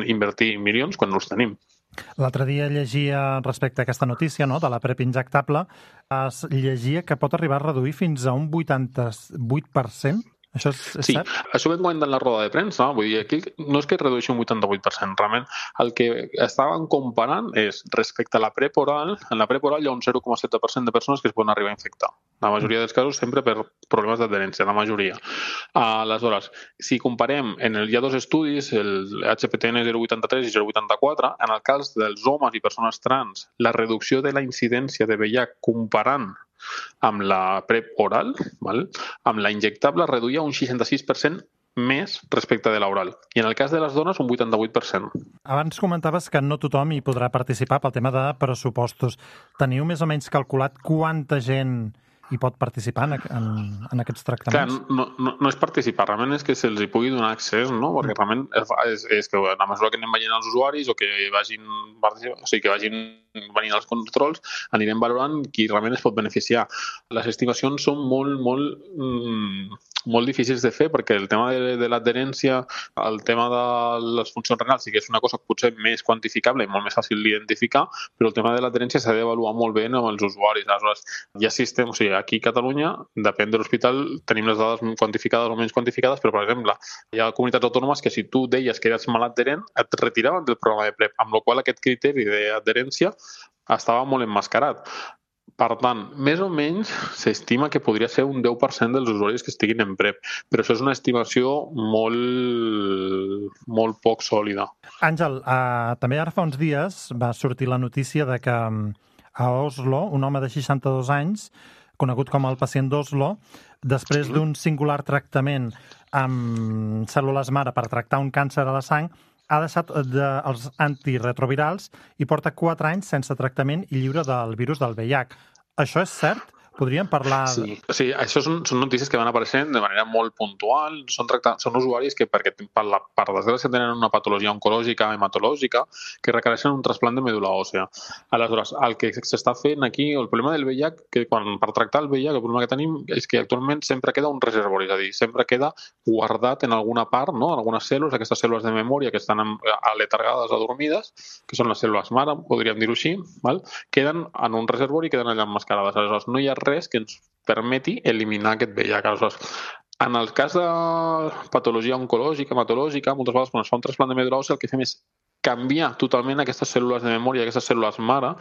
invertir milions quan no els tenim. L'altre dia llegia respecte a aquesta notícia, no?, de la PrEP injectable, es llegia que pot arribar a reduir fins a un vuitanta-vuit per cent. Això és, és sí, cert? Això ho vam comentar en la roda de premsa. Vull dir, aquí no és que redueixi un vuitanta-vuit per cent. Realment, el que estaven comparant és, respecte a la PrEP oral, en la PrEP oral hi ha un zero coma set per cent de persones que es poden arribar a infectar. La majoria dels casos sempre per problemes d'adherència, la majoria. Aleshores, si comparem, en el, hi ha dos estudis, el H P T N zero coma vuitanta-tres i zero coma vuitanta-quatre, en el cas dels homes i persones trans, la reducció de la incidència de V I H comparant amb la PrEP oral, val? Amb la injectable reduïa un seixanta-sis per cent més respecte de l'oral. I en el cas de les dones, un vuitanta-vuit per cent. Abans comentaves que no tothom hi podrà participar pel tema de pressupostos. Teniu més o menys calculat quanta gent hi pot participar en, en, en aquests tractaments? Clar, no, no, no és participar, realment és que se'ls hi pugui donar accés, no? Perquè realment és, és que a mesura que anem veient els usuaris o que vagin, o sigui, que vagin venint els controls, anirem valorant qui realment es pot beneficiar. Les estimacions són molt, molt, mmm, molt difícils de fer perquè el tema de, de l'adherència, el tema de les funcions renals sí que és una cosa potser més quantificable i molt més fàcil d'identificar, però el tema de l'adherència s'ha d'avaluar molt bé amb els usuaris. Aleshores, hi ha sistemes, o sigui, aquí a Catalunya, depèn de l'hospital, tenim les dades quantificades o menys quantificades, però, per exemple, hi ha comunitats autònomes que si tu deies que eres mal adherent, et retiraven del programa de PrEP, amb la qual cosa aquest criteri d'adherència estava molt emmascarat. Per tant, més o menys s'estima que podria ser un deu per cent dels usuaris que estiguin en PrEP, però això és una estimació molt, molt poc sòlida. Àngel, uh, també ara fa uns dies va sortir la notícia de que a Oslo, un home de seixanta-dos anys, conegut com el pacient d'Oslo, després sí. d'un singular tractament amb cèl·lules mare per tractar un càncer a la sang, ha deixat de, els antiretrovirals i porta quatre anys sense tractament i lliure del virus del V I H. Això és cert? Podríem parlar... Sí, sí, això són, són notícies que van apareixent de manera molt puntual. Són, tractat, són usuaris que, perquè per, la, per desgràcia, tenen una patologia oncològica, hematològica, que requereixen un trasplant de medul·la òssea. Aleshores, el que s'està fent aquí, el problema del V I H, que quan, per tractar el V I H, el problema que tenim és que actualment sempre queda un reservori, és a dir, sempre queda guardat en alguna part, no? En algunes cèl·lules, aquestes cèl·lules de memòria que estan aletargades, adormides, que són les cèl·lules mare, podríem dir-ho així, val? Queden en un reservori i queden allà emmascarades. Aleshores, no hi ha res que ens permeti eliminar aquest V I H. Aleshores, en el cas de patologia oncològica, hematològica, moltes vegades quan es fa un trasplant de medul·la òssea el que fem és canviar totalment aquestes cèl·lules de memòria, aquestes cèl·lules mare,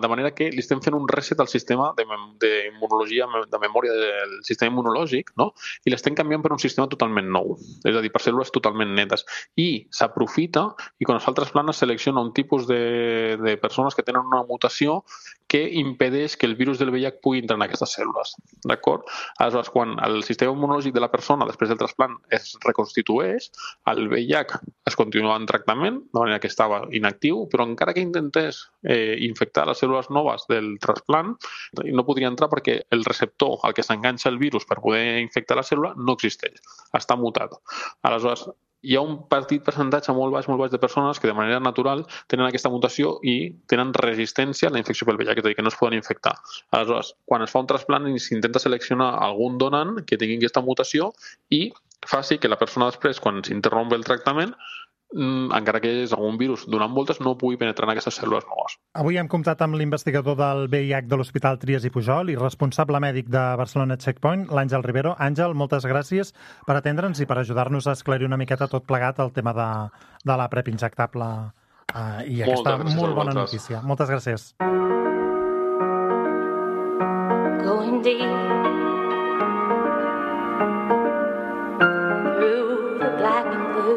de manera que li estem fent un reset al sistema d'immunologia, de, de memòria del sistema immunològic, no? I l'estem canviant per un sistema totalment nou, és a dir, per cèl·lules totalment netes. I s'aprofita, i quan es fa el trasplant es selecciona un tipus de, de persones que tenen una mutació que impedeix que el virus del V I H pugui entrar en aquestes cèl·lules. D'acord? Aleshores, quan el sistema immunològic de la persona, després del trasplant, es reconstitueix, el V I H es continua en tractament, de manera que estava inactiu, però encara que intentés eh, infectar les cèl·lules noves del trasplant, no podria entrar perquè el receptor al que s'enganxa el virus per poder infectar la cèl·lula no existeix, està mutat. Aleshores, hi ha un petit percentatge molt baix, molt baix de persones que de manera natural tenen aquesta mutació i tenen resistència a la infecció pel V I H, és a dir, que no es poden infectar. Aleshores, quan es fa un trasplant s'intenta seleccionar algun donant que tingui aquesta mutació i faci que la persona després, quan s'interrompe el tractament, encara que és algun virus donant voltes, no pugui penetrar en aquestes cèl·lules noves. Avui hem comptat amb l'investigador del V I H de l'Hospital Trias i Pujol i responsable mèdic de Barcelona Checkpoint, l'Àngel Rivero. Àngel, moltes gràcies per atendre'ns i per ajudar-nos a esclarir una miqueta tot plegat el tema de, de la PrEP injectable uh, i aquesta molt bona notícia. Moltes gràcies. Going deep through the black and blue.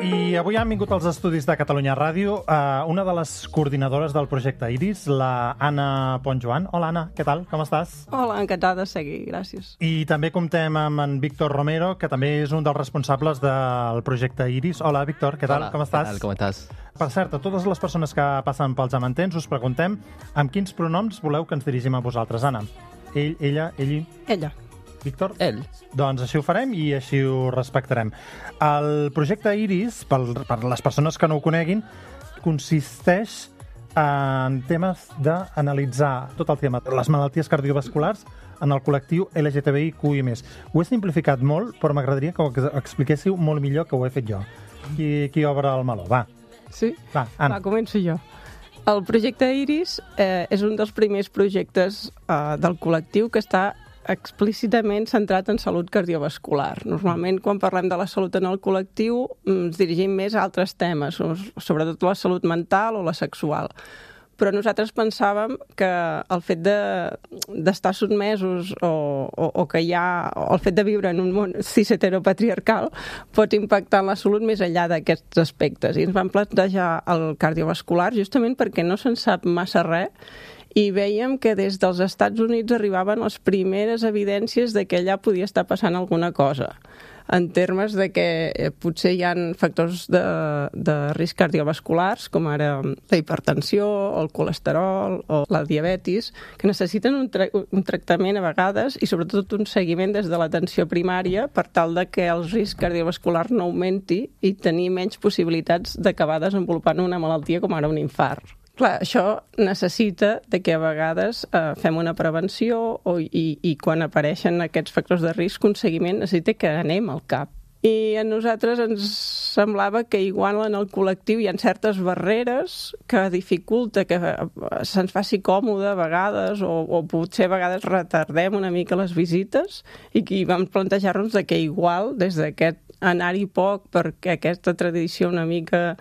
I avui han vingut als estudis de Catalunya Ràdio uh, una de les coordinadores del projecte Iris, la Anna Pont-Joan. Hola, Anna, què tal? Com estàs? Hola, encantada de seguir, gràcies. I també comptem amb en Víctor Romero, que també és un dels responsables del projecte Iris. Hola, Víctor, què tal? Hola, com estàs? Què tal? Com estàs? Per cert, a totes les persones que passen pels Amantens us preguntem amb quins pronoms voleu que ens dirigim a vosaltres, Anna? Ell, ella, ell... Ella. Víctor? Ell. Doncs així ho farem i així ho respectarem. El projecte Iris, per, per les persones que no ho coneguin, consisteix en temes d'analitzar tot el tema de les malalties cardiovasculars en el col·lectiu L G T B I Q I més. Ho he simplificat molt, però m'agradaria que ho expliquéssiu molt millor que ho he fet jo. Qui, qui obre el meló? Va. Sí? Va, Anna. Va, començo jo. El projecte Iris eh, és un dels primers projectes eh, del col·lectiu que està explícitament centrat en salut cardiovascular. Normalment, quan parlem de la salut en el col·lectiu, ens dirigim més a altres temes, sobretot la salut mental o la sexual. Però nosaltres pensàvem que el fet d'estar de, sotmesos o, o, o que hi ha, o el fet de viure en un món cis-heteropatriarcal pot impactar en la salut més enllà d'aquests aspectes. I ens vam plantejar el cardiovascular justament perquè no se'n sap massa res i veiem que des dels Estats Units arribaven les primeres evidències de que allà podia estar passant alguna cosa, en termes de que potser hi ha factors de, de risc cardiovasculars, com ara la hipertensió, el colesterol o la diabetis, que necessiten un, tra un tractament a vegades i sobretot un seguiment des de l'atenció primària per tal de que el risc cardiovascular no augmenti i tenir menys possibilitats d'acabar desenvolupant una malaltia com ara un infart. Clar, això necessita de que a vegades eh, fem una prevenció o, i, i quan apareixen aquests factors de risc, un seguiment necessita que anem al cap I a nosaltres ens semblava que igual en el col·lectiu hi ha certes barreres que dificulta que se'ns faci còmode a vegades o, o potser a vegades retardem una mica les visites i que vam plantejar-nos que igual des d'aquest anar-hi poc perquè aquesta tradició una mica,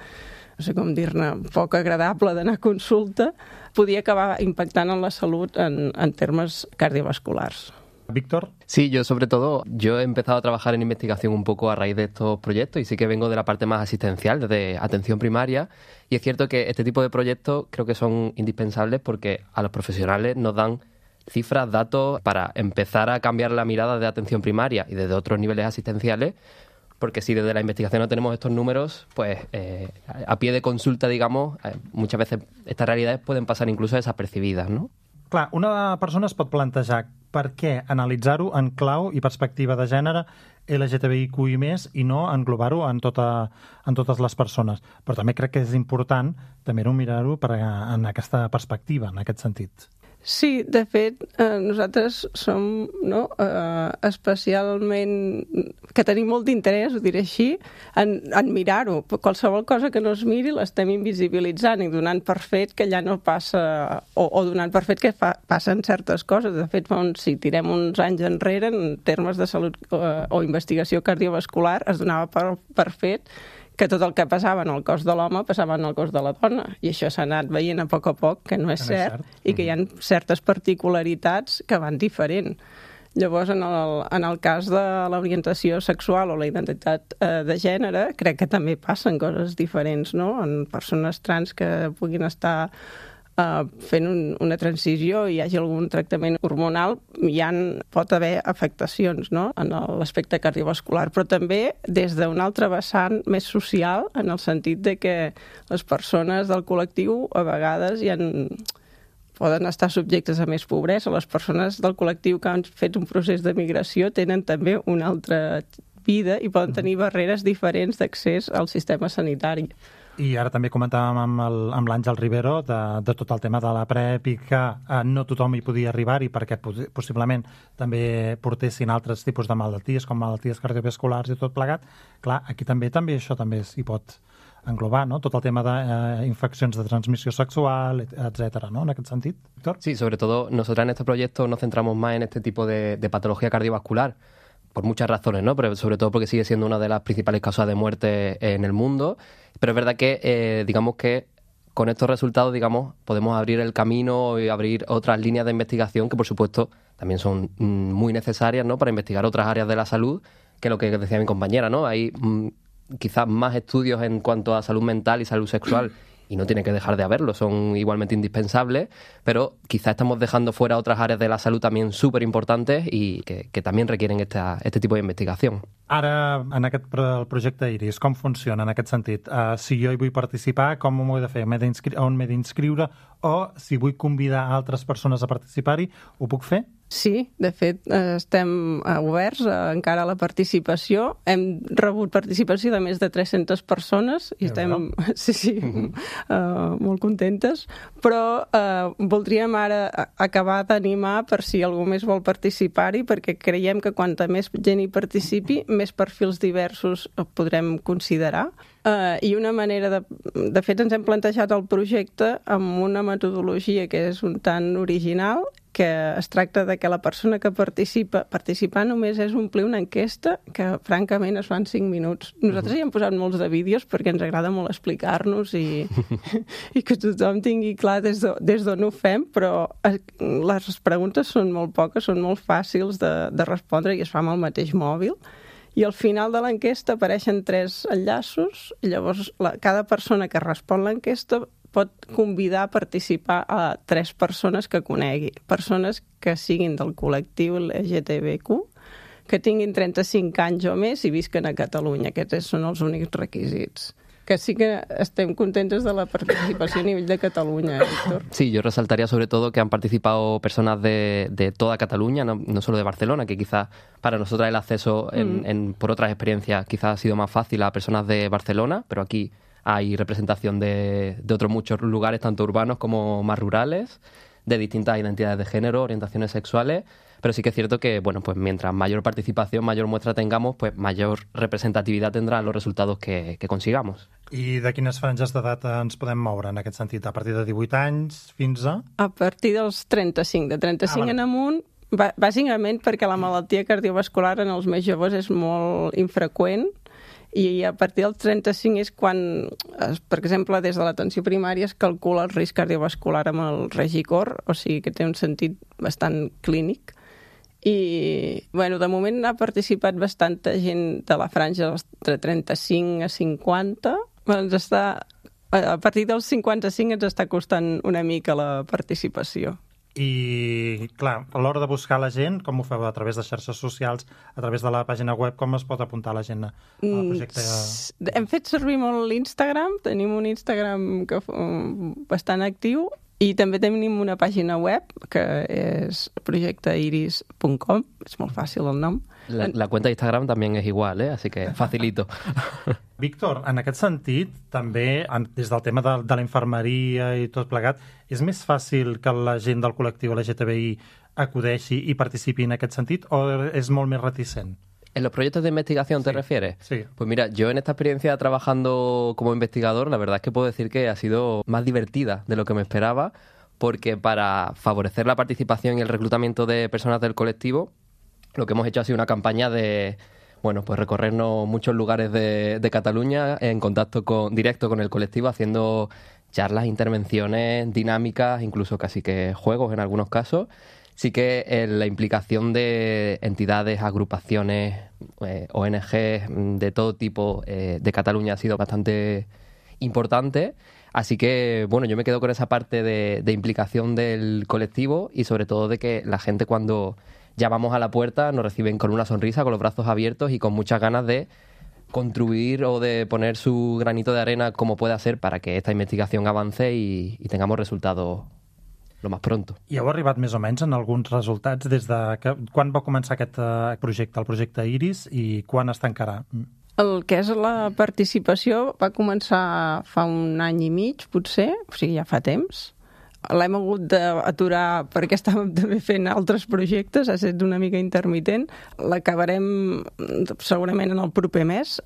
no sé com dir-ne, poc agradable d'anar a consulta podia acabar impactant en la salut en, en termes cardiovasculars. Víctor. Sí, yo sobre todo, yo he empezado a trabajar en investigación un poco a raíz de estos proyectos y sí que vengo de la parte más asistencial, de atención primaria, y es cierto que este tipo de proyectos creo que son indispensables porque a los profesionales nos dan cifras, datos para empezar a cambiar la mirada de atención primaria y desde otros niveles asistenciales, porque si desde la investigación no tenemos estos números, pues eh, a pie de consulta, digamos, eh, muchas veces estas realidades pueden pasar incluso desapercibidas, ¿no? Clar, una persona es pot plantejar per què analitzar-ho en clau i perspectiva de gènere L G T B I Q i més i no englobar-ho en, tota, en totes les persones. Però també crec que és important també mirar-ho per, en aquesta perspectiva, en aquest sentit. Sí, de fet, eh, nosaltres som no, eh, especialment... que tenim molt d'interès, ho diré així, en, en mirar-ho. Qualsevol cosa que no es miri l'estem invisibilitzant i donant per fet que ja no passa... o, o donant per fet que fa, passen certes coses. De fet, fa uns, si tirem uns anys enrere, en termes de salut eh, o investigació cardiovascular, es donava per, per fet que tot el que passava en el cos de l'home passava en el cos de la dona. I això s'ha anat veient a poc a poc, que no és que no cert, és cert, i que hi ha certes particularitats que van diferent. Llavors, en el, en el cas de l'orientació sexual o la identitat eh, de gènere, crec que també passen coses diferents, no? En persones trans que puguin estar Uh, fent un, una transició i hi hagi algun tractament hormonal, hi ha, pot haver afectacions, no? En l'aspecte cardiovascular, però també des d'un altre vessant més social, en el sentit de que les persones del col·lectiu a vegades hi han, poden estar subjectes a més pobresa. Les persones del col·lectiu que han fet un procés de migració tenen també una altra vida i poden tenir barreres diferents d'accés al sistema sanitari. I ara també comentàvem amb, el, amb l'Àngel Rivero de, de tot el tema de la PrEP i que eh, no tothom hi podia arribar-hi perquè possiblement també portessin altres tipus de malalties com malalties cardiovasculars i tot plegat. Clar, aquí també també això també s'hi pot englobar, ¿no? Tot el tema d'infeccions de, eh, de transmissió sexual, etcétera, ¿no? En aquest sentit, Víctor. Sí, sobre todo nosotros en este proyecto nos centramos más en este tipo de, de patología cardiovascular por muchas razones, ¿no? Pero sobre todo porque sigue siendo una de las principales causas de muerte en el mundo. Pero es verdad que, eh, digamos que con estos resultados, digamos, podemos abrir el camino y abrir otras líneas de investigación que, por supuesto, también son mm, muy necesarias, ¿no? Para investigar otras áreas de la salud, que lo que decía mi compañera, ¿no? Hay mm, quizás más estudios en cuanto a salud mental y salud sexual y no tiene que dejar de haberlo, son igualmente indispensables, pero quizá estamos dejando fuera otras áreas de la salud también súper importantes y que, que también requieren esta, este tipo de investigación. Ara, en aquest el projecte Iris, com funciona en aquest sentit? Uh, si jo hi vull participar, com ho he de fer? On m'he d'inscriure? O si vull convidar altres persones a participar-hi, ho puc fer? Sí, de fet, estem oberts encara a la participació. Hem rebut participació de més de tres-centes persones i estem sí, sí, uh, molt contentes, però uh, voldríem ara acabar d'animar per si algú més vol participar-hi, perquè creiem que quanta més gent hi participi, més perfils diversos podrem considerar. Uh, I una manera de... De fet, ens hem plantejat el projecte amb una metodologia que és un tant original, que es tracta de que la persona que participa, participar només és omplir una enquesta que, francament, es fa en cinc minuts. Nosaltres hi hem posat molts de vídeos perquè ens agrada molt explicar-nos i, i que tothom tingui clar des d'on ho fem, però les preguntes són molt poques, són molt fàcils de, de respondre i es fa amb el mateix mòbil. I al final de l'enquesta apareixen tres enllaços i llavors la, cada persona que respon l'enquesta pot convidar a participar a tres persones que conegui. Persones que siguin del col·lectiu L G T B I Q, que tinguin trenta-cinc anys o més i visquen a Catalunya. Aquests són els únics requisits. Que sí que estem contentes de la participació a nivell de Cataluña, ¿eh, Víctor? Sí, yo resaltaría sobre todo que han participado personas de, de toda Cataluña, no, no solo de Barcelona, que quizás para nosotras el acceso en, mm. en, por otras experiencias quizás ha sido más fácil a personas de Barcelona, pero aquí hay representación de, de otros muchos lugares, tanto urbanos como más rurales. de distintas identidades de género, orientaciones sexuales, pero sí que es cierto que, bueno, pues mientras mayor participación, mayor muestra tengamos, pues mayor representativitat tindran los resultados que, que consigamos. I de quines franges d'edat ens podem moure en aquest sentit? A partir de divuit anys fins a... A partir dels trenta-cinc. De trenta-cinc Ah, vale. en amunt, bàsicament perquè la malaltia cardiovascular en els més joves és molt infreqüent i a partir dels trenta-cinc és quan, per exemple, des de l'atenció primària es calcula el risc cardiovascular amb el Regicor, o sigui que té un sentit bastant clínic. I, bueno, de moment ha participat bastanta gent de la franja de trenta-cinc a cinquanta. Ens està, a partir dels cinquanta-cinc ens està costant una mica la participació. I, clar, a l'hora de buscar la gent, com ho feu? A través de xarxes socials, a través de la pàgina web, com es pot apuntar la gent al projecte? Mm, hem fet servir molt l'Instagram, tenim un Instagram que, bastant actiu, i també tenim una pàgina web que és projecte iris punt com, és molt fàcil el nom. La, la cuenta de Instagram también es igual, ¿eh? Así que facilito. Víctor, en aquest sentit, també, des del tema de, de la infermeria i tot plegat, és més fàcil que la gent del col·lectiu L G T B I acudeixi i participi en aquest sentit, o és molt més reticent? ¿En los proyectos de investigación te Sí, refieres? sí. Pues mira, yo en esta experiencia trabajando como investigador, la verdad es que puedo decir que ha sido más divertida de lo que me esperaba, porque para favorecer la participación y el reclutamiento de personas del colectivo, lo que hemos hecho ha sido una campaña de, bueno, pues recorrernos muchos lugares de, de Cataluña en contacto con, directo con el colectivo, haciendo charlas, intervenciones, dinámicas, incluso casi que juegos en algunos casos. Sí que eh, la implicación de entidades, agrupaciones, eh, O N Ges de todo tipo eh, de Cataluña ha sido bastante importante. Así que, bueno, yo me quedo con esa parte de, de implicación del colectivo y sobre todo de que la gente cuando llamamos a la puerta nos reciben con una sonrisa, con los brazos abiertos y con muchas ganas de contribuir o de poner su granito de arena como pueda ser para que esta investigación avance y, y tengamos resultados lo más pronto. I heu arribat més o menys en alguns resultats des de... Que, quan va començar aquest uh, projecte, el projecte Iris, i quan es tancarà? El que és la participació va començar fa un any i mig, potser, o sigui, ja fa temps. L'hem hagut d'aturar perquè estàvem també fent altres projectes, ha estat una mica intermitent. L'acabarem segurament en el proper mes,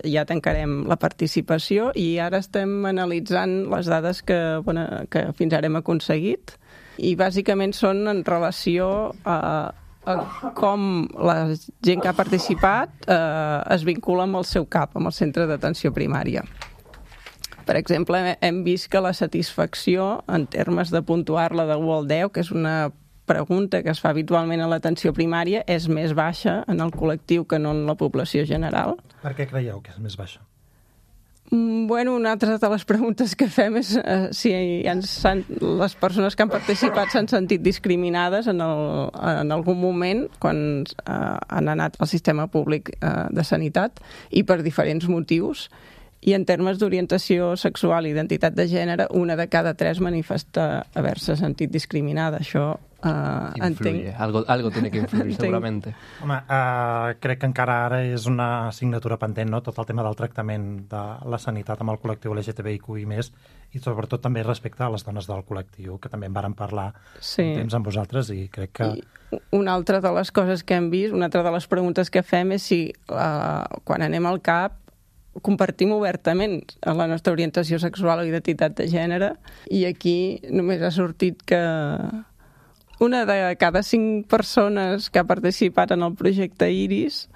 ja tancarem la participació i ara estem analitzant les dades que, bueno, que fins ara hem aconseguit i bàsicament són en relació a, a com la gent que ha participat eh, es vincula amb el seu C A P, amb el centre d'atenció primària. Per exemple, hem vist que la satisfacció, en termes de puntuar-la de u al deu, que és una pregunta que es fa habitualment a l'atenció primària, és més baixa en el col·lectiu que no en la població general. Per què creieu que és més baixa? Bueno, una altra de les preguntes que fem és eh, si ens han, les persones que han participat s'han sentit discriminades en, el, en algun moment quan eh, han anat al sistema públic eh, de sanitat i per diferents motius. I en termes d'orientació sexual i identitat de gènere, una de cada tres manifesta haver-se sentit discriminada. Això eh, entenc... Algo, algo tiene que influir, entenc. seguramente. Home, uh, crec que encara ara és una assignatura pendent, no?, tot el tema del tractament de la sanitat amb el col·lectiu L G T B I Q i més, i sobretot també respecte a les dones del col·lectiu, que també en vàrem parlar sí. un temps amb vosaltres i crec que... I una altra de les coses que hem vist, una altra de les preguntes que fem és si uh, quan anem al C A P compartim obertament la nostra orientació sexual o identitat de gènere i aquí només ha sortit que una de cada cinc persones que ha participat en el projecte Iris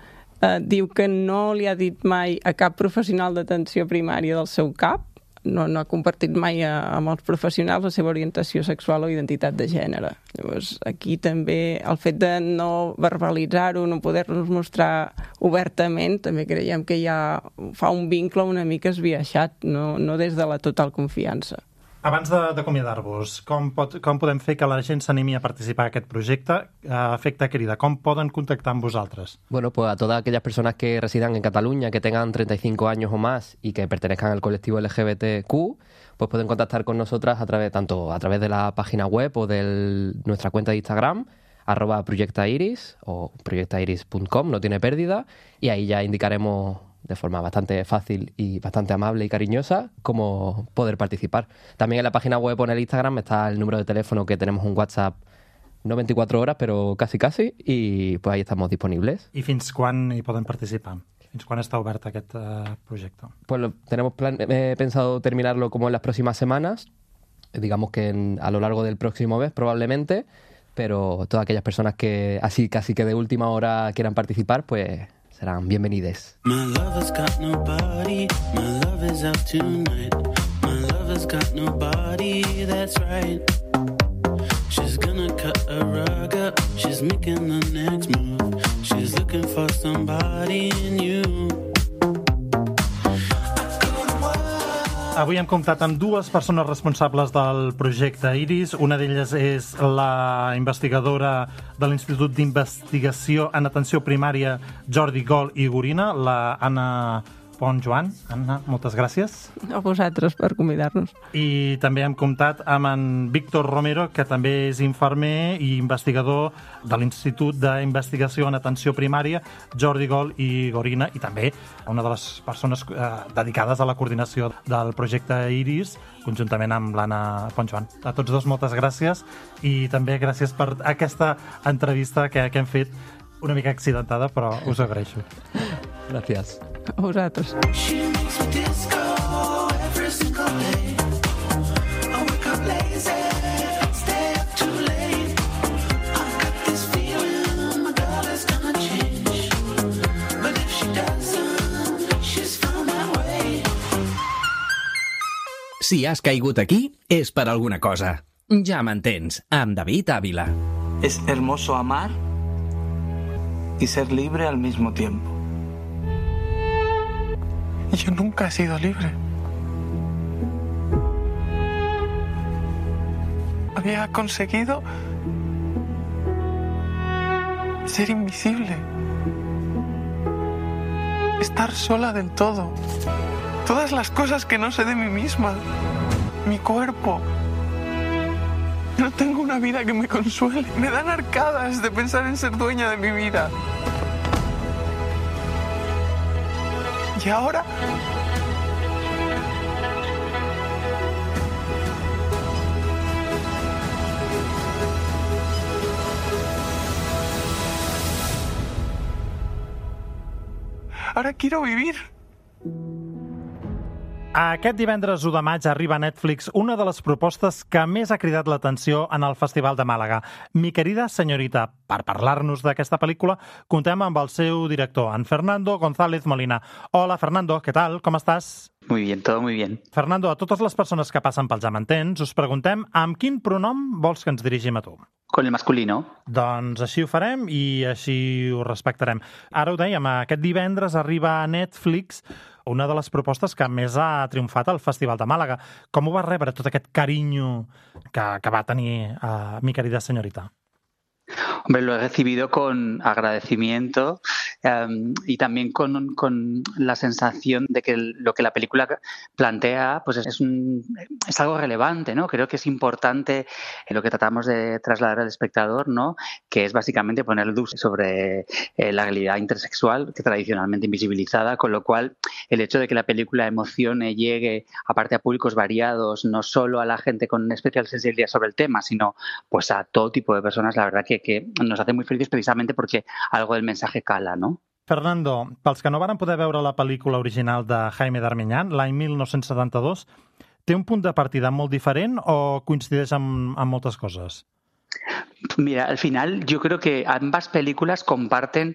eh, diu que no li ha dit mai a cap professional d'atenció primària del seu C A P, no, no ha compartit mai a, amb els professionals la seva orientació sexual o identitat de gènere. Llavors, aquí també el fet de no verbalitzar-ho, no poder-nos mostrar obertament, també creiem que ja fa un vincle una mica esbiaixat, no, no des de la total confiança. Abans d'acomiadar-vos, com, pot, com podem fer que la gent s'animi a participar en aquest projecte? A efecte crida, com poden contactar amb vosaltres? Bueno, pues a todas aquellas personas que residan en Cataluña, que tengan treinta y cinco años o más y que pertenezcan al colectivo L G B T Q, pues pueden contactar con nosotras a través, tanto a través de la página web o de nuestra cuenta de Instagram, arroba proyectairis o proyectairis punto com, no tiene pérdida, y ahí ya indicaremos de forma bastante fácil y bastante amable y cariñosa, cómo poder participar. También en la página web o en el Instagram está el número de teléfono, que tenemos un WhatsApp no veinticuatro horas, pero casi casi, y pues ahí estamos disponibles. I fins quan hi poden participar? Fins quan està obert aquest uh, proyecto? Pues lo, tenemos plan, eh, pensado terminarlo como en las próximas semanas, digamos que en, a lo largo del próximo mes probablemente, pero todas aquellas personas que así casi que de última hora quieran participar, pues serán bienvenides. My lover's got nobody, my love is out tonight. My lover's got nobody, that's right. She's gonna cut a rug up, she's making the next move. She's looking for somebody new. Avui hem comptat amb dues persones responsables del projecte Iris. Una d'elles és la investigadora de l'Institut d'Investigació en Atenció Primària Jordi Gol i Gorina, la Anna Pont-Joan. Anna, moltes gràcies. A vosaltres per convidar-nos. I també hem comptat amb en Víctor Romero, que també és infermer i investigador de l'Institut d'Investigació en Atenció Primària Jordi Gol i Gorina, i també una de les persones eh, dedicades a la coordinació del projecte Iris, conjuntament amb l'Anna Pont-Joan. A tots dos, moltes gràcies, i també gràcies per aquesta entrevista que, que hem fet una mica accidentada, però us ho agraeixo. Gràcies. A vosaltres. Si has caigut aquí, és per alguna cosa. Ja m'entens, amb David Ávila. Es hermoso amar y ser libre al mismo tiempo. Yo nunca he sido libre. Había conseguido ser invisible. Estar sola del todo. Todas las cosas que no sé de mí misma. Mi cuerpo. No tengo una vida que me consuele. Me dan arcadas de pensar en ser dueña de mi vida. Y ahora... Ahora quiero vivir. Aquest divendres u de maig arriba a Netflix una de les propostes que més ha cridat l'atenció en el Festival de Màlaga, Mi querida señorita. Per parlar-nos d'aquesta pel·lícula, contem amb el seu director, en Fernando González Molina. Hola, Fernando, què tal? Com estàs? Muy bien, todo muy bien. Fernando, a totes les persones que passen pel Ja m'entens, us preguntem amb quin pronom vols que ens dirigim a tu? Con el masculino. Doncs així ho farem i així ho respectarem. Ara ho dèiem, aquest divendres arriba a Netflix una de les propostes que més ha triomfat al Festival de Màlaga. Com ho va rebre tot aquest carinyo que, que va tenir uh, Mi querida señorita? Hombre, lo he recibido con agradecimiento um, y también con, con la sensación de que lo que la película plantea pues es, un, es algo relevante, ¿no? Creo que es importante lo que tratamos de trasladar al espectador, ¿no? Que es básicamente poner luz sobre eh, la realidad intersexual, que tradicionalmente invisibilizada, con lo cual el hecho de que la película emocione, llegue aparte a públicos variados, no solo a la gente con especial sensibilidad sobre el tema, sino pues a todo tipo de personas, la verdad que que nos hace muy felices precisamente porque algo del mensaje cala, ¿no? Fernando, pels que no varen poder veure la pel·lícula original de Jaime Darmiñán, l'any mil nou-cents setanta-dos, té un punt de partida molt diferent o coincideix amb, amb moltes coses? Mira, al final yo creo que ambas películas comparten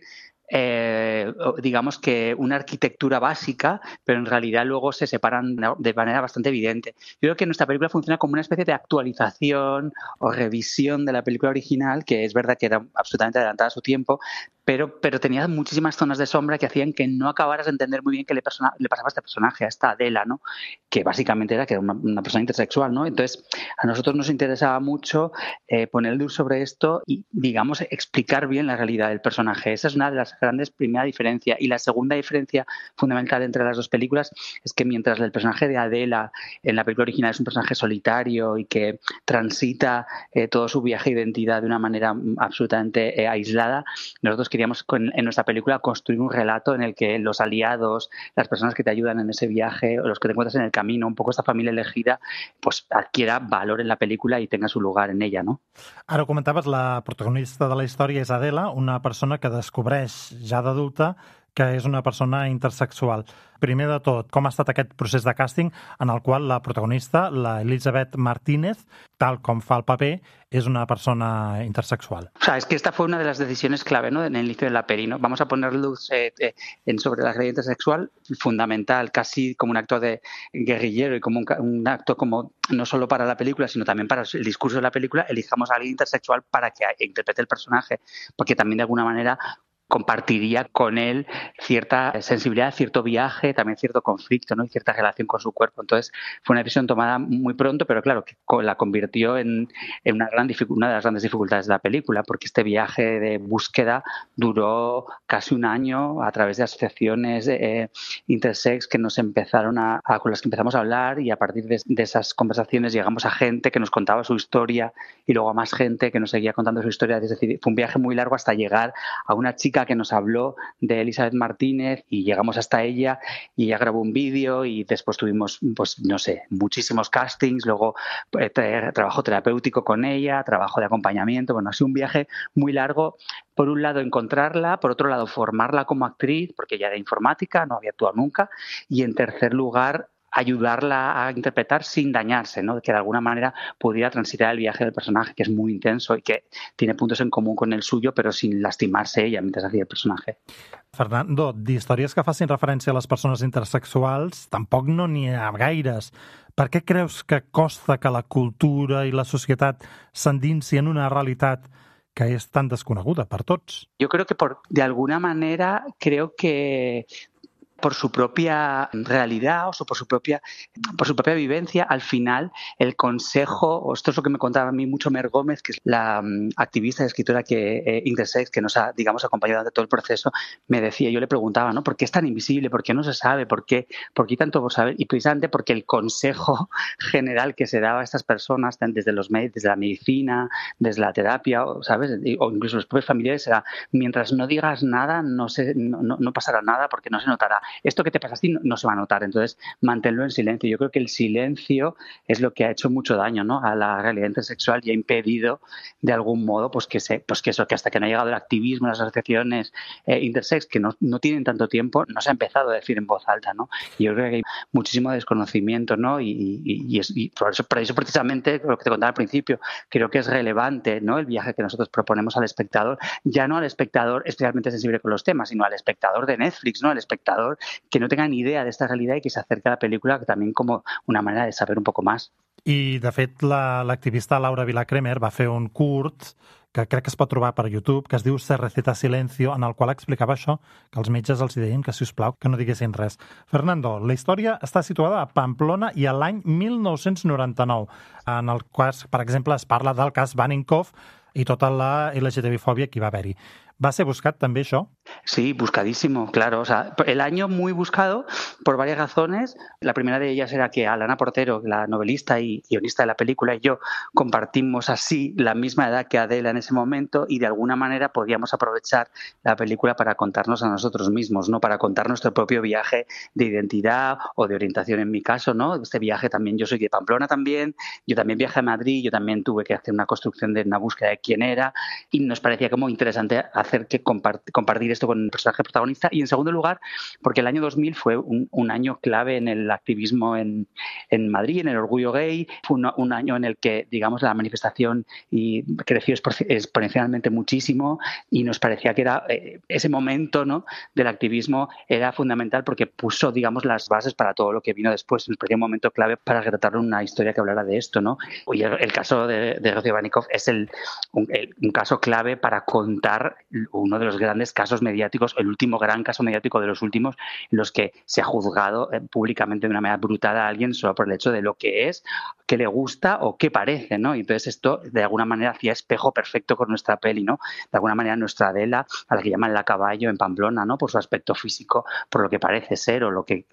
Eh, digamos que una arquitectura básica, pero en realidad luego se separan de manera bastante evidente. Yo creo que nuestra película funciona como una especie de actualización o revisión de la película original, que es verdad que era absolutamente adelantada a su tiempo, pero, pero tenía muchísimas zonas de sombra que hacían que no acabaras de entender muy bien qué le, persona, le pasaba a este personaje, a esta Adela, ¿no? Que básicamente era que era una, una persona intersexual, ¿no? Entonces, a nosotros nos interesaba mucho eh, poner luz sobre esto y, digamos, explicar bien la realidad del personaje. Esa es una de las las grandes, primera diferencia. Y la segunda diferencia fundamental entre las dos películas es que mientras el personaje de Adela en la película original es un personaje solitario y que transita eh, todo su viaje de identidad de una manera absolutamente eh, aislada, nosotros queríamos con, en nuestra película construir un relato en el que los aliados, las personas que te ayudan en ese viaje o los que te encuentras en el camino, un poco esta familia elegida, pues adquiera valor en la película y tenga su lugar en ella, no? Ara ho comentaves, la protagonista de la història és Adela, una persona que descobreix ja d'adulta que és una persona intersexual. Primer de tot, com ha estat aquest procés de càsting en el qual la protagonista, la Elizabeth Martínez, tal com fa el paper, es una persona intersexual? O sea, es que esta fue una de las decisiones clave, ¿no?, en el inicio de la peli, ¿no? Vamos a poner luz eh, eh, en sobre la realidad intersexual, fundamental, casi como un acto de guerrillero y como un, un acto como no solo para la película, sino también para el discurso de la película, elijamos a alguien intersexual para que interprete el personaje, porque también de alguna manera compartiría con él cierta sensibilidad, cierto viaje, también cierto conflicto, ¿no?, y cierta relación con su cuerpo. Entonces fue una decisión tomada muy pronto, pero claro, que la convirtió en, en una, gran una de las grandes dificultades de la película, porque este viaje de búsqueda duró casi un año a través de asociaciones eh, intersex que nos empezaron a, a, con las que empezamos a hablar, y a partir de, de esas conversaciones llegamos a gente que nos contaba su historia y luego a más gente que nos seguía contando su historia. Es decir, fue un viaje muy largo hasta llegar a una chica que nos habló de Elizabeth Martínez, y llegamos hasta ella y ella grabó un vídeo y después tuvimos, pues no sé, muchísimos castings, luego eh, trabajo terapéutico con ella, trabajo de acompañamiento. Bueno, ha sido un viaje muy largo. Por un lado encontrarla, por otro lado formarla como actriz, porque ella era informática, no había actuado nunca, y en tercer lugar ayudarla a interpretar sin dañarse, ¿no?, que de alguna manera pudiera transitar el viaje del personaje, que es muy intenso y que tiene puntos en común con el suyo, però sin lastimarse ella mientras hacía el personaje. Fernando, d'històries que facin referència a les persones intersexuals tampoc no n'hi ha gaires. Per què creus que costa que la cultura i la societat s'endinsi en una realitat que és tan desconeguda per tots? Yo creo que por, de alguna manera creo que por su propia realidad o por su propia por su propia vivencia, al final el consejo, o esto es lo que me contaba a mí mucho Mer Gómez, que es la um, activista y escritora que eh, intersex, que nos ha, digamos, acompañado durante todo el proceso, me decía, yo le preguntaba, ¿no?, ¿por qué es tan invisible? ¿Por qué no se sabe? ¿Por qué, por qué tanto por saber? Y precisamente porque el consejo general que se daba a estas personas, desde los desde la medicina, desde la terapia, ¿sabes?, o incluso los propios familiares, era, mientras no digas nada, no, se, no, no, no pasará nada porque no se notará. Esto que te pasa a ti no, no se va a notar, entonces manténlo en silencio. Yo creo que el silencio es lo que ha hecho mucho daño, ¿no?, a la realidad intersexual, y ha impedido de algún modo pues que se, pues que eso, que hasta que no ha llegado el activismo, las asociaciones eh, intersex, que no, no tienen tanto tiempo, no se ha empezado a decir en voz alta, ¿no? Y yo creo que hay muchísimo desconocimiento, ¿no? Y, y, y, es, y por, eso, por eso precisamente, lo que te contaba al principio, creo que es relevante, ¿no?, el viaje que nosotros proponemos al espectador, ya no al espectador especialmente sensible con los temas, sino al espectador de Netflix, ¿no?, al espectador que no tenga ni idea de esta realidad y que se acerque a la película también como una manera de saber un poco más. I, de fet, l'activista la, Laura Vilacremer va fer un curt que crec que es pot trobar per YouTube, que es diu Se receta silencio, en el qual explicava això, que els metges els deien que, si us plau, que no diguessin res. Fernando, la història està situada a Pamplona i a l'any mil nou-cents noranta-nou, en el qual, per exemple, es parla del cas Vaninkoff i tota la L G T B-fòbia que hi va haver-hi. ¿Va a ser buscat també això? Sí, buscadísimo, claro. O sea, el año muy buscado por varias razones. La primera de ellas era que Alana Portero, la novelista y guionista de la película, y yo compartimos así la misma edad que Adela en ese momento, y de alguna manera podíamos aprovechar la película para contarnos a nosotros mismos, ¿no?, para contar nuestro propio viaje de identidad o de orientación en mi caso, ¿no? Este viaje también, yo soy de Pamplona también, yo también viajé a Madrid, yo también tuve que hacer una construcción de una búsqueda de quién era, y nos parecía como interesante hacer que compart- compartir esto con el personaje protagonista. Y en segundo lugar, porque el año dos mil fue un, un año clave en el activismo en, en Madrid, en el orgullo gay. Fue un, un año en el que, digamos, la manifestación y creció exponencialmente muchísimo, y nos parecía que era eh, ese momento, ¿no?, del activismo era fundamental porque puso, digamos, las bases para todo lo que vino después. Nos parecía un momento clave para retratar una historia que hablara de esto, ¿no? Y el, el caso de, de Vaninkoff es el un, el, un caso clave para contar uno de los grandes casos mediáticos mediáticos, el último gran caso mediático de los últimos, en los que se ha juzgado eh, públicamente de una manera brutal a alguien solo por el hecho de lo que es, qué le gusta o qué parece, ¿no? Y entonces esto de alguna manera hacía espejo perfecto con nuestra peli, ¿no? De alguna manera nuestra Adela, a la que llaman la caballo en Pamplona, ¿no? Por su aspecto físico, por lo que parece ser o lo que,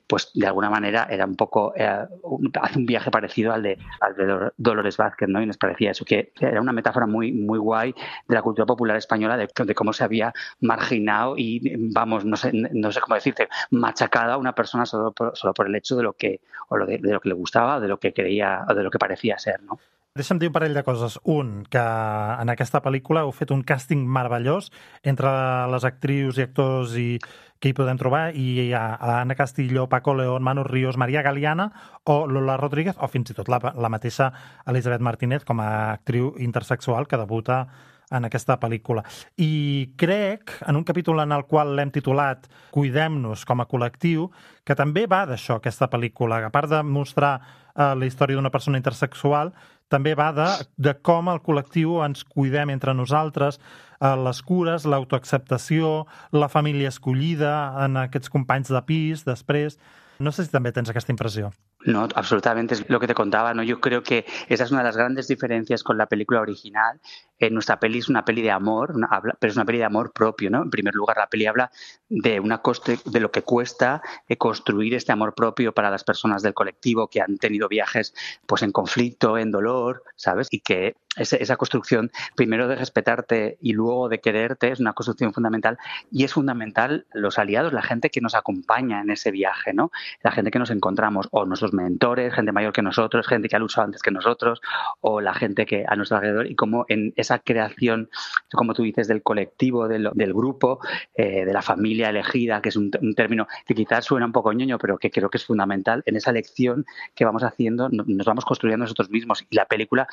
pues de alguna manera era un poco, eh, un, hace un viaje parecido al de, al de Dolores Vázquez, ¿no? Y nos parecía eso, que era una metáfora muy, muy guay de la cultura popular española, de, de cómo se había marginado y, vamos, no sé, no sé cómo decirte, machacado a una persona solo por, solo por el hecho de lo que, o lo de, de lo que le gustava o de lo que creía o de lo que parecía ser, no? Deixa'm dir un parell de coses. Un, que en aquesta pel·lícula heu fet un càsting meravellós entre les actrius i actors i que hi podem trobar, i hi ha Ana Castillo, Paco León, Manu Ríos, Maria Galiana o Lola Rodríguez, o fins i tot la, la mateixa Elisabet Martínez com a actriu intersexual que debuta en aquesta pel·lícula. I crec, en un capítol en el qual l'hem titulat Cuidem-nos com a col·lectiu, que també va d'això, aquesta pel·lícula. A part de mostrar eh, la història d'una persona intersexual, també va de, de com el col·lectiu ens cuidem entre nosaltres, eh, les cures, l'autoacceptació, la família escollida en aquests companys de pis, després. No sé si también tienes esta impresión. No, absolutamente, es lo que te contaba, ¿no? Yo creo que esa es una de las grandes diferencias con la película original. Eh, nuestra peli es una peli de amor, una, habla, pero es una peli de amor propio, ¿no? En primer lugar, la peli habla de una coste, de lo que cuesta eh, construir este amor propio para las personas del colectivo que han tenido viajes pues en conflicto, en dolor, ¿sabes? Y que ese, esa construcción, primero de respetarte y luego de quererte, es una construcción fundamental, y es fundamental los aliados, la gente que nos acompaña en ese viaje, ¿no? La gente que nos encontramos, o nuestros mentores, gente mayor que nosotros, gente que ha luchado antes que nosotros, o la gente que a nuestro alrededor, y como en esa creación, como tú dices, del colectivo, del, del grupo, eh, de la familia elegida, que es un, un término que quizás suena un poco ñoño, pero que creo que es fundamental, en esa elección que vamos haciendo, nos vamos construyendo nosotros mismos, y la película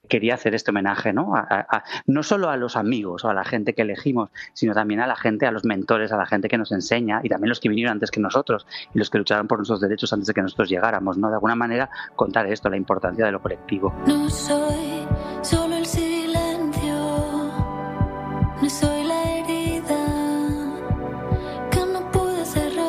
quería hacer este homenaje, ¿no? A, a, a, no solo a los amigos o a la gente que elegimos, sino también a la gente, a los mentores, a la gente que nos enseña, y también los que vinieron antes que nosotros, y los que lucharon por nuestros derechos antes de que nosotros llegáramos, ¿no? De alguna manera contar esto, la importancia de lo colectivo. No soy solo el silencio, no soy la herida que no pude cerrar.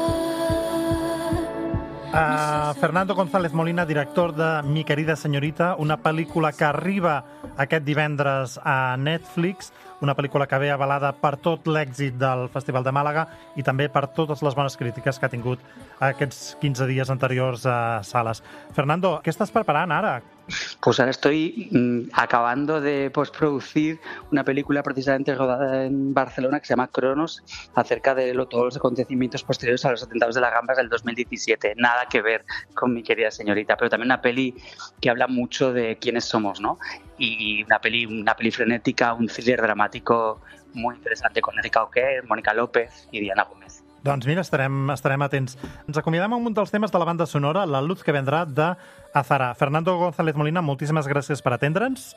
Uh, Fernando González Molina, director de Mi querida señorita, una pel·lícula que arriba aquest divendres a Netflix, una pel·lícula que ve avalada per tot l'èxit del Festival de Màlaga i també per totes les bones crítiques que ha tingut aquests quinze dies anteriors a sales. Fernando, què estàs preparant ara? Pues ahora estoy mmm, acabando de postproducir una película precisamente rodada en Barcelona que se llama Cronos, acerca de lo, todos los acontecimientos posteriores a los atentados de las Gambas del dos mil diecisiete. Nada que ver con Mi querida señorita, pero también una peli que habla mucho de quiénes somos, ¿no? Y una peli, una peli frenética, un thriller dramático muy interesante con Erika Oquer, Mónica López y Diana Gómez. Doncs mira, estarem, estarem atents. Ens acomiadem amb un dels temes de la banda sonora, La luz que vendrá, de Azara. Fernando González Molina, moltíssimes gràcies per atendre'ns.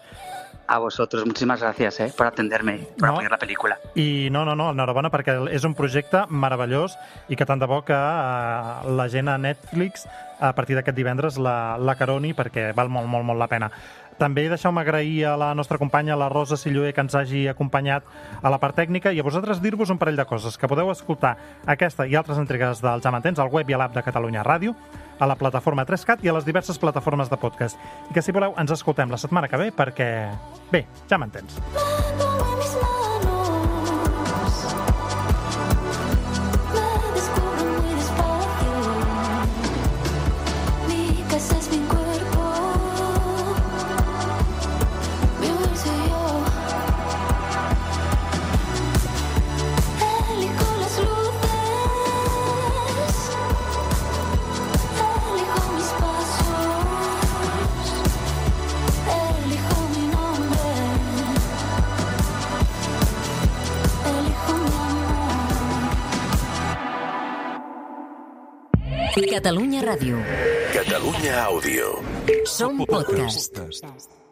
A vosotros, muchísimas gracias eh, por atenderme, por no, apoyar la película. I no, no, no, enhorabona, perquè és un projecte meravellós i que tant de bo que uh, la gent a Netflix a partir d'aquest divendres la, la caroni, perquè val molt, molt, molt la pena. També deixeu-me agrair a la nostra companya, la Rosa Silloé, que ens hagi acompanyat a la part tècnica, i a vosaltres dir-vos un parell de coses, que podeu escoltar aquesta i altres entregues del Ja m'entens al web i a l'app de Catalunya Ràdio, a la plataforma tres cat i a les diverses plataformes de podcast. I que, si voleu, ens escoltem la setmana que ve, perquè, bé, ja m'entens. Catalunya Ràdio. Catalunya Àudio. Som podcast.